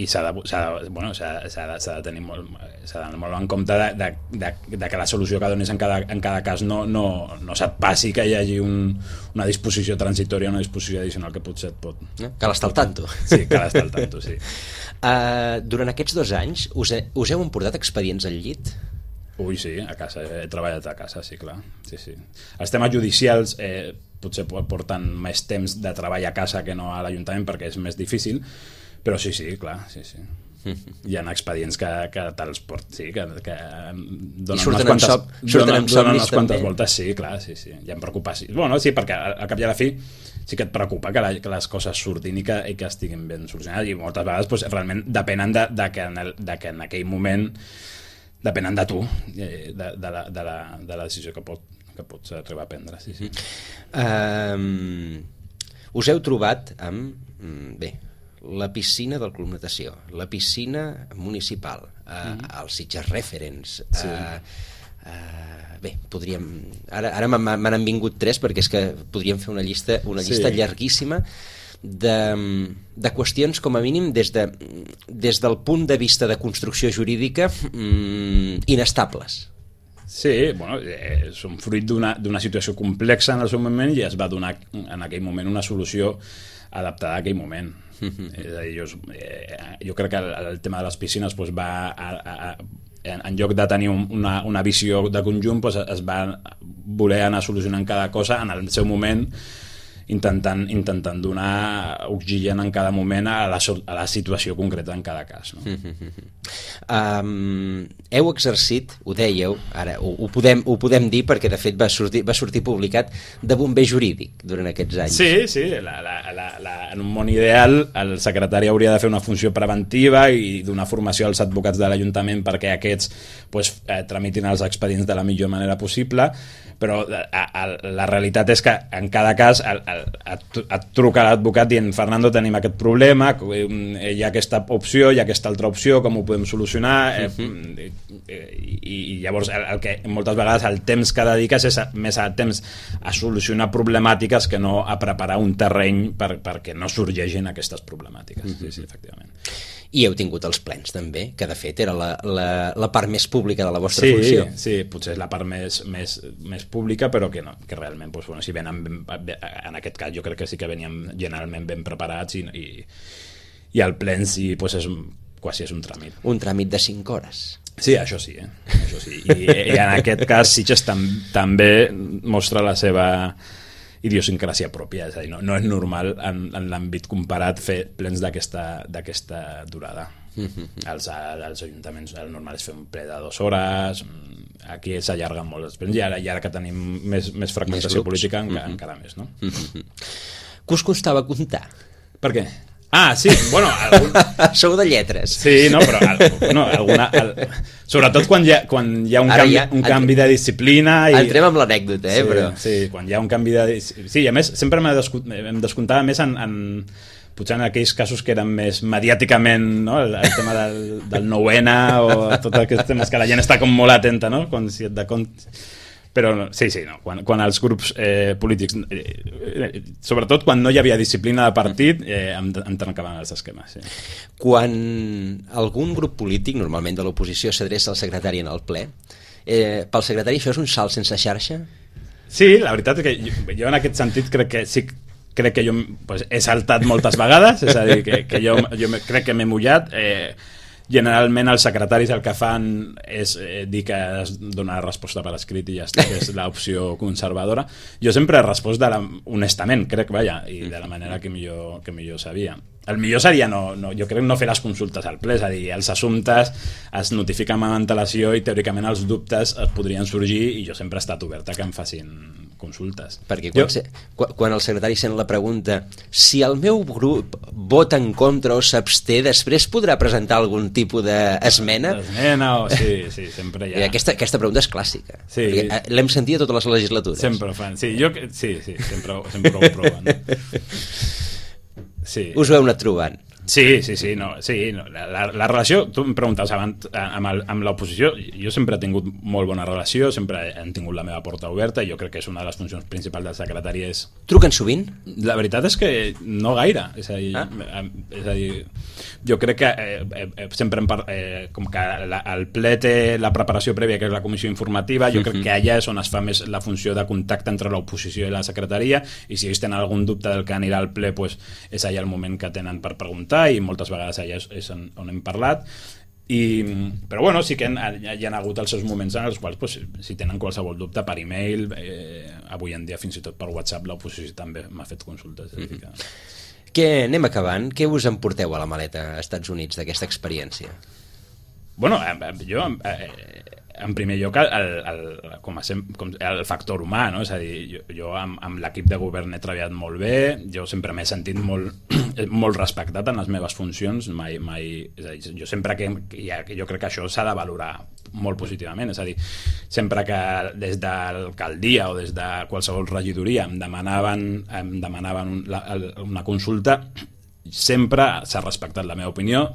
i s'ha de, s'ha de, bueno, s'ha, s'ha de, s'ha de tenir molt, s'ha de molt en compte de, de, de, de que la solució que donis en cada, en cada cas no, no, no se't passi que hi hagi un, una disposició transitòria, una disposició addicional que potser et pot... Cal estar al tanto. Sí, cal estar al tanto, sí. Uh, durant aquests dos anys us, he, us heu emportat expedients al llit? Ui, sí, a casa, he treballat a casa, sí, clar. Sí, sí. Els temes judicials eh, potser porten més temps de treball a casa que no a l'Ajuntament perquè és més difícil, però sí, sí, clar, sí, sí. Hi ha expedients que, que te'ls port, sí, que, que donen unes quantes, sop, donen, donen unes quantes voltes, sí, clar, sí, sí. Hi ha preocupacions. Bueno, sí, perquè al cap i a la fi sí que et preocupa que, la, que les coses surtin i que, i que estiguin ben solucionades, i moltes vegades pues, realment depenen de, de, que en el, de que en aquell moment depenen de tu, de, de, la, de, la, de la decisió que, pot, que pots arribar a prendre. Sí, sí. Um, us heu trobat amb... Bé, la piscina del Club Natació, la piscina municipal, uh, mm. els Sitges Referents... Sí. Uh, Uh, bé, podríem... Ara, ara m'han vingut tres perquè és que podríem fer una llista, una llista sí. llarguíssima de, de qüestions, com a mínim, des, de, des del punt de vista de construcció jurídica mm, inestables. Sí, bueno, eh, són fruit d'una d'una situació complexa en el seu moment i es va donar en aquell moment una solució adaptada a aquell moment. Mm-hmm. És a dir, jo, eh, jo crec que el, el tema de les piscines pues, va a, a, a En, en lloc de tenir un, una, una visió de conjunt pues, es va voler anar solucionant cada cosa en el seu moment, intentant, intentant donar oxigen en cada moment a la, a la situació concreta en cada cas, no? um, heu exercit, ho dèieu ara ho, ho, podem, ho podem dir perquè de fet va sortir, va sortir publicat, de bomber jurídic durant aquests anys. Sí, sí, la, la, la, la, en un món ideal el secretari hauria de fer una funció preventiva i donar formació als advocats de l'Ajuntament perquè aquests pues, eh, tramitin els expedients de la millor manera possible, però a, a, la realitat és que en cada cas el, el, et, et truca l'advocat dient Fernando, tenim aquest problema, hi ha aquesta opció, hi ha aquesta altra opció, com ho podem solucionar, uh-huh. eh, i, i llavors el, el que moltes vegades el temps que dediques és a, més a temps a solucionar problemàtiques que no a preparar un terreny per, perquè no sorgeixin aquestes problemàtiques. Uh-huh. Sí, sí, efectivament. I heu tingut els plens també, que de fet era la, la, la part més pública de la vostra sí, funció. Sí, potser és la part més, més, més pública, però que no, que realment doncs, bueno, si venen ben, en aquest cas jo crec que sí que veníem generalment ben preparats i, i, i el plen sí, doncs és, quasi és un tràmit. Un tràmit de cinc hores. Sí, això sí, eh? Això sí. I, i en aquest cas Sitges tam, també mostra la seva idiosincràsia pròpia, és a dir, no, no és normal en, en l'àmbit comparat fer plens d'aquesta durada. Mm-hmm. Els, els ajuntaments el normal és fer un ple de dues hores, aquí s'allarguen molt els plens i ara, i ara que tenim més, més fragmentació més política encara, mm-hmm. encara més, no? Mm-hmm. Què us costava comptar? Per què? Ah, sí, bueno... Algun... Sou de lletres. Sí, no, però... No, alguna, el... Sobretot quan hi ha, quan hi ha un, canvi, ja, un canvi de disciplina... I... Entrem amb l'anècdota, eh, sí, però... Sí, quan hi ha un canvi de... Sí, a més, sempre em descomptava més en, en... Potser en aquells casos que eren més mediàticament, no? El, el tema del, del nou ene o tots aquests temes que la gent està com molt atenta, no? Quan si et de compte... Però sí, sí, no. Quan, quan els grups eh, polítics, eh, eh, sobretot quan no hi havia disciplina de partit, eh, em, em trencaven els esquemes. Sí. Quan algun grup polític, normalment de l'oposició, s'adreça al secretari en el ple, eh, pel secretari això és un salt sense xarxa? Sí, la veritat és que jo, jo en aquest sentit crec que sí, crec que jo pues, he saltat moltes vegades, és a dir, que, que jo, jo crec que m'he mullat... Eh, generalment els secretaris el que fan és eh, dir que es dona resposta per escrit i ja està, que és l'opció conservadora. Jo sempre he respost de la, honestament, crec, vaja, i de la manera que millor, que millor sabia. El millor seria, no, no, jo crec, no fer les consultes al ple, és a dir, els assumptes es notifiquen amb antelació i teòricament els dubtes es podrien sorgir i jo sempre he estat oberta que em facin consultes. Perquè quan, jo... se, quan, quan el secretari sent la pregunta si el meu grup vota en contra o s'absté, després podrà presentar algun tipus d'esmena? Esmena, o... sí, sí, sempre hi ha. I aquesta, aquesta pregunta és clàssica. Sí. L'hem sentit a totes les legislatures. Sempre ho fan, sí, jo, sí, sí, sempre, sempre ho proven. Sí. Us ho heu anat trobant? Sí, sí, sí, no, sí no. La, la relació, tu em preguntaves abans amb, el, amb l'oposició, jo sempre he tingut molt bona relació, sempre he tingut la meva porta oberta i jo crec que és una de les funcions principals del secretari és... Truquen sovint? La veritat és que no gaire, és a dir, ah. és a dir jo crec que eh, eh, sempre em par... eh, com que la, el ple té la preparació prèvia, que és la comissió informativa, jo crec que allà és on es fa més la funció de contacte entre l'oposició i la secretaria, i si ells tenen algun dubte del que anirà al ple, pues, és allà el moment que tenen per preguntar, i moltes vegades allà és, és on, on hem parlat. I, però bueno, sí que hi ha, hi ha hagut els seus moments en els quals pues, si tenen qualsevol dubte per e-mail, eh, avui en dia fins i tot per WhatsApp l'oposició també m'ha fet consultes. Mm-hmm. que... Què, anem acabant, què us emporteu a la maleta als Estats Units d'aquesta experiència? Bueno, jo eh, en primer lloc el, el, com a sem, com el factor humà, no? És a dir, jo, jo amb, amb l'equip de govern he treballat molt bé, jo sempre m'he sentit molt, molt respectat en les meves funcions, mai, mai, és a dir, jo sempre que, que jo crec que això s'ha de valorar molt positivament, és a dir, sempre que des de l'alcaldia o des de qualsevol regidoria em demanaven, em demanaven un, la, una consulta, sempre s'ha respectat la meva opinió,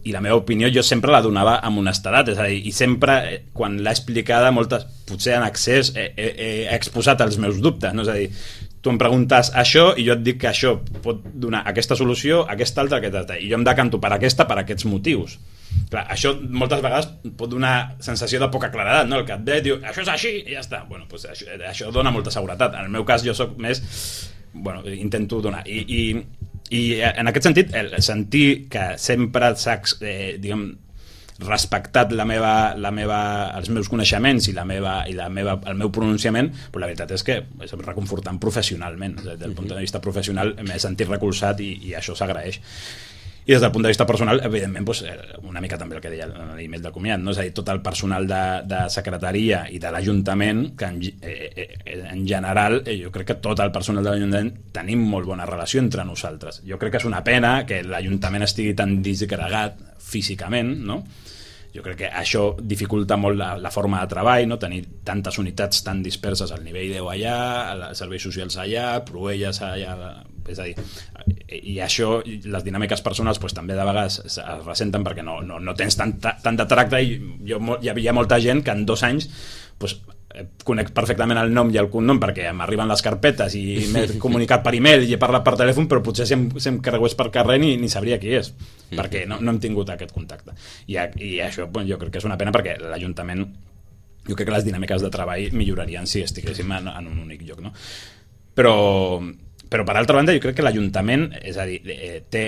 i la meva opinió jo sempre la donava amb honestedat, és a dir, i sempre quan l'he explicada moltes, potser en accés he, he, he exposat els meus dubtes, no? És a dir, tu em preguntes això i jo et dic que això pot donar aquesta solució, aquesta altra, aquesta altra, i jo em decanto per aquesta per aquests motius. Clar, això moltes vegades pot donar sensació de poca claredat, no? El que et ve diu, això és així i ja està. Bueno, doncs això, això dona molta seguretat. En el meu cas jo soc més, bueno, intento donar i, i I en aquest sentit, el sentir que sempre s'ha eh, diguem, respectat la meva, la meva, els meus coneixements i, la meva, i la meva, el meu pronunciament, però la veritat és que és reconfortant professionalment. Des del punt de vista professional m'he sentit recolzat i, i això s'agraeix. I des del punt de vista personal, evidentment, doncs, una mica també el que deia l'email de comiat, no? És a dir, tot el personal de, de secretaria i de l'Ajuntament, que en, eh, en general, eh, jo crec que tot el personal de l'Ajuntament tenim molt bona relació entre nosaltres. Jo crec que és una pena que l'Ajuntament estigui tan disgregat físicament, no? Jo crec que això dificulta molt la, la forma de treball, no? Tenir tantes unitats tan disperses al nivell deu allà, als serveis socials allà, Proelles allà, és a dir, i això, les dinàmiques personals pues, també de vegades es ressenten perquè no, no, no tens tant, tant de tracte i jo, hi havia molta gent que en dos anys pues, conec perfectament el nom i el cognom perquè m'arriben les carpetes i m'he comunicat per e-mail i he parlat per telèfon, però potser si em, si em carregués per carrer ni, ni sabria qui és, perquè no, no hem tingut aquest contacte. I, i això bueno, jo crec que és una pena perquè l'Ajuntament, jo crec que les dinàmiques de treball millorarien si estiguéssim en, en un únic lloc, no? Però... Però, per altra banda, jo crec que l'Ajuntament, és a dir, té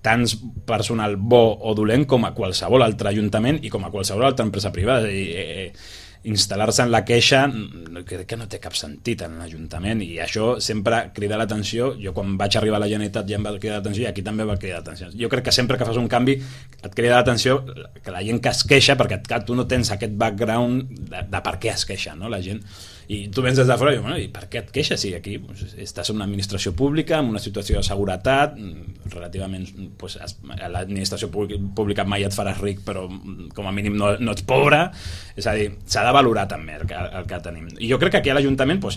tant personal bo o dolent com a qualsevol altre ajuntament i com a qualsevol altra empresa privada. És a dir, eh, instal·lar-se en la queixa crec que no té cap sentit en l'Ajuntament i això sempre crida l'atenció. Jo quan vaig arribar a la Generalitat ja em va cridar l'atenció i aquí també va cridar l'atenció. Jo crec que sempre que fas un canvi et crida l'atenció que la gent que es queixa, perquè tu no tens aquest background de, de per què es queixa, no? La gent... I tu vens des de fora i dius, bueno, i per què et queixes? Si aquí pues, estàs en una administració pública, en una situació de seguretat, relativament, pues, l'administració pública mai et faràs ric, però com a mínim no, no ets pobre, és a dir, s'ha de valorar també el que, el que tenim. I jo crec que aquí a l'Ajuntament pues,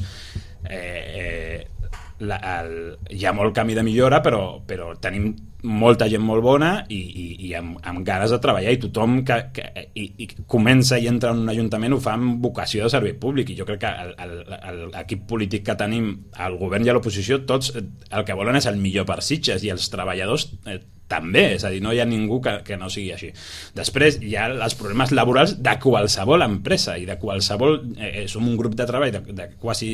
eh, eh, la, el, hi ha molt camí de millora, però, però tenim molta gent molt bona i, i, i amb, amb ganes de treballar i tothom que, que i, i comença i entra en un ajuntament ho fa amb vocació de servei públic i jo crec que l'equip polític que tenim, el govern i l'oposició, tots el que volen és el millor per Sitges i els treballadors eh, també, és a dir, no hi ha ningú que, que no sigui així. Després hi ha els problemes laborals de qualsevol empresa i de qualsevol... Eh, som un grup de treball de, de quasi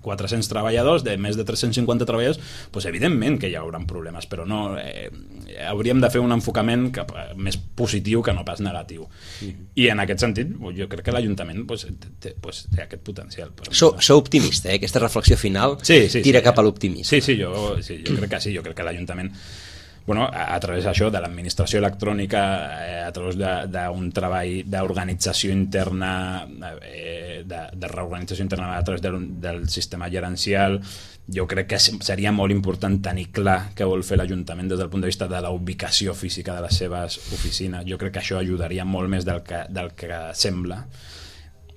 quatre-cents treballadors, de més de tres-cents cinquanta treballadors, doncs evidentment que hi haurà problemes, però no... Eh, hauríem de fer un enfocament cap, més positiu que no pas negatiu. Mm. I en aquest sentit, jo crec que l'Ajuntament pues, té, pues, té aquest potencial. Però... Sou, sou optimista, eh? Aquesta reflexió final sí, sí, tira sí, cap a l'optimisme. Sí, sí, jo, sí, jo crec que sí, jo crec que l'Ajuntament bueno, a, a través d'això, de l'administració electrònica, eh, a través d'un treball d'organització interna, eh, de, de reorganització interna a través del, del sistema gerencial, jo crec que seria molt important tenir clar què vol fer l'Ajuntament des del punt de vista de la ubicació física de les seves oficines. Jo crec que això ajudaria molt més del que, del que sembla.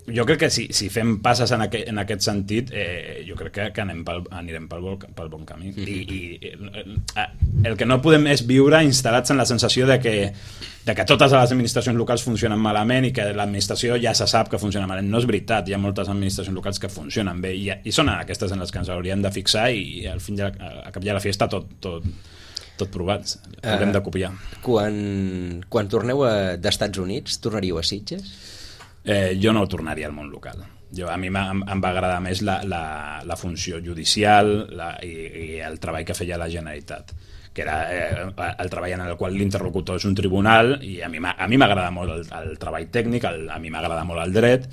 Jo crec que si, si fem passes en aquest, en aquest sentit, eh, jo crec que, que anem pel, anirem pel, pel bon camí. Mm-hmm. I, i el que no podem és viure instal·lats en la sensació de que, de que totes les administracions locals funcionen malament i que l'administració ja se sap que funciona malament. No és veritat, hi ha moltes administracions locals que funcionen bé i, i són aquestes en les que ens hauríem de fixar i al fin de la, a cap de la fiesta tot, tot, tot provat. Haurem uh, de copiar. Quan, quan torneu a, d'Estats Units, tornaríeu a Sitges? Eh, jo no tornaria al món local. Jo, a mi em, em va agradar més la, la, la funció judicial la, i, i el treball que feia la Generalitat, que era eh, el treball en el qual l'interlocutor és un tribunal, i a mi m'agrada molt el, el treball tècnic, el, a mi m'agrada molt el dret,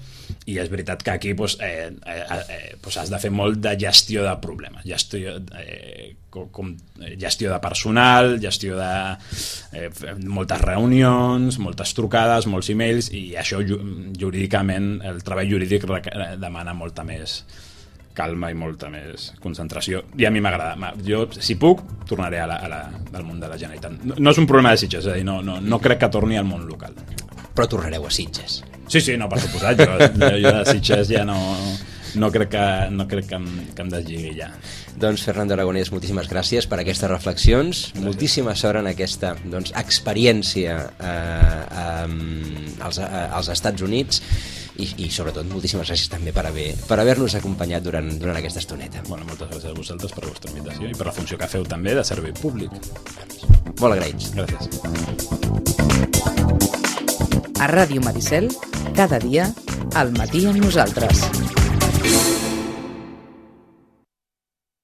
i és veritat que aquí pues, eh, eh, eh, pues has de fer molt de gestió de problemes, gestió, eh, com, com, gestió de personal, gestió de eh, moltes reunions, moltes trucades, molts e-mails, i això jurídicament, el treball jurídic demana molta més calma i molta més concentració, i a mi m'agrada. Jo, si puc, tornaré a la, a la, al món de la Generalitat. No, no és un problema de Sitges, és a dir, no, no, no crec que torni al món local. Però tornareu a Sitges. Sí, sí, no, per suposat, jo, jo de Sitges ja no, no crec que, no crec que, em, que em deslligui ja. Doncs Fernando Aragonès, moltíssimes gràcies per aquestes reflexions, gràcies. Moltíssima sort en aquesta doncs, experiència eh, eh, als, eh, als Estats Units i, i sobretot moltíssimes gràcies també per haver per haver-nos acompanyat durant, durant aquesta estoneta. Bueno, moltes gràcies a vosaltres per la vostra invitació i per la funció que feu també de servei públic. Molt agraïts. Gràcies. A Ràdio Maricel, cada dia, al matí amb nosaltres.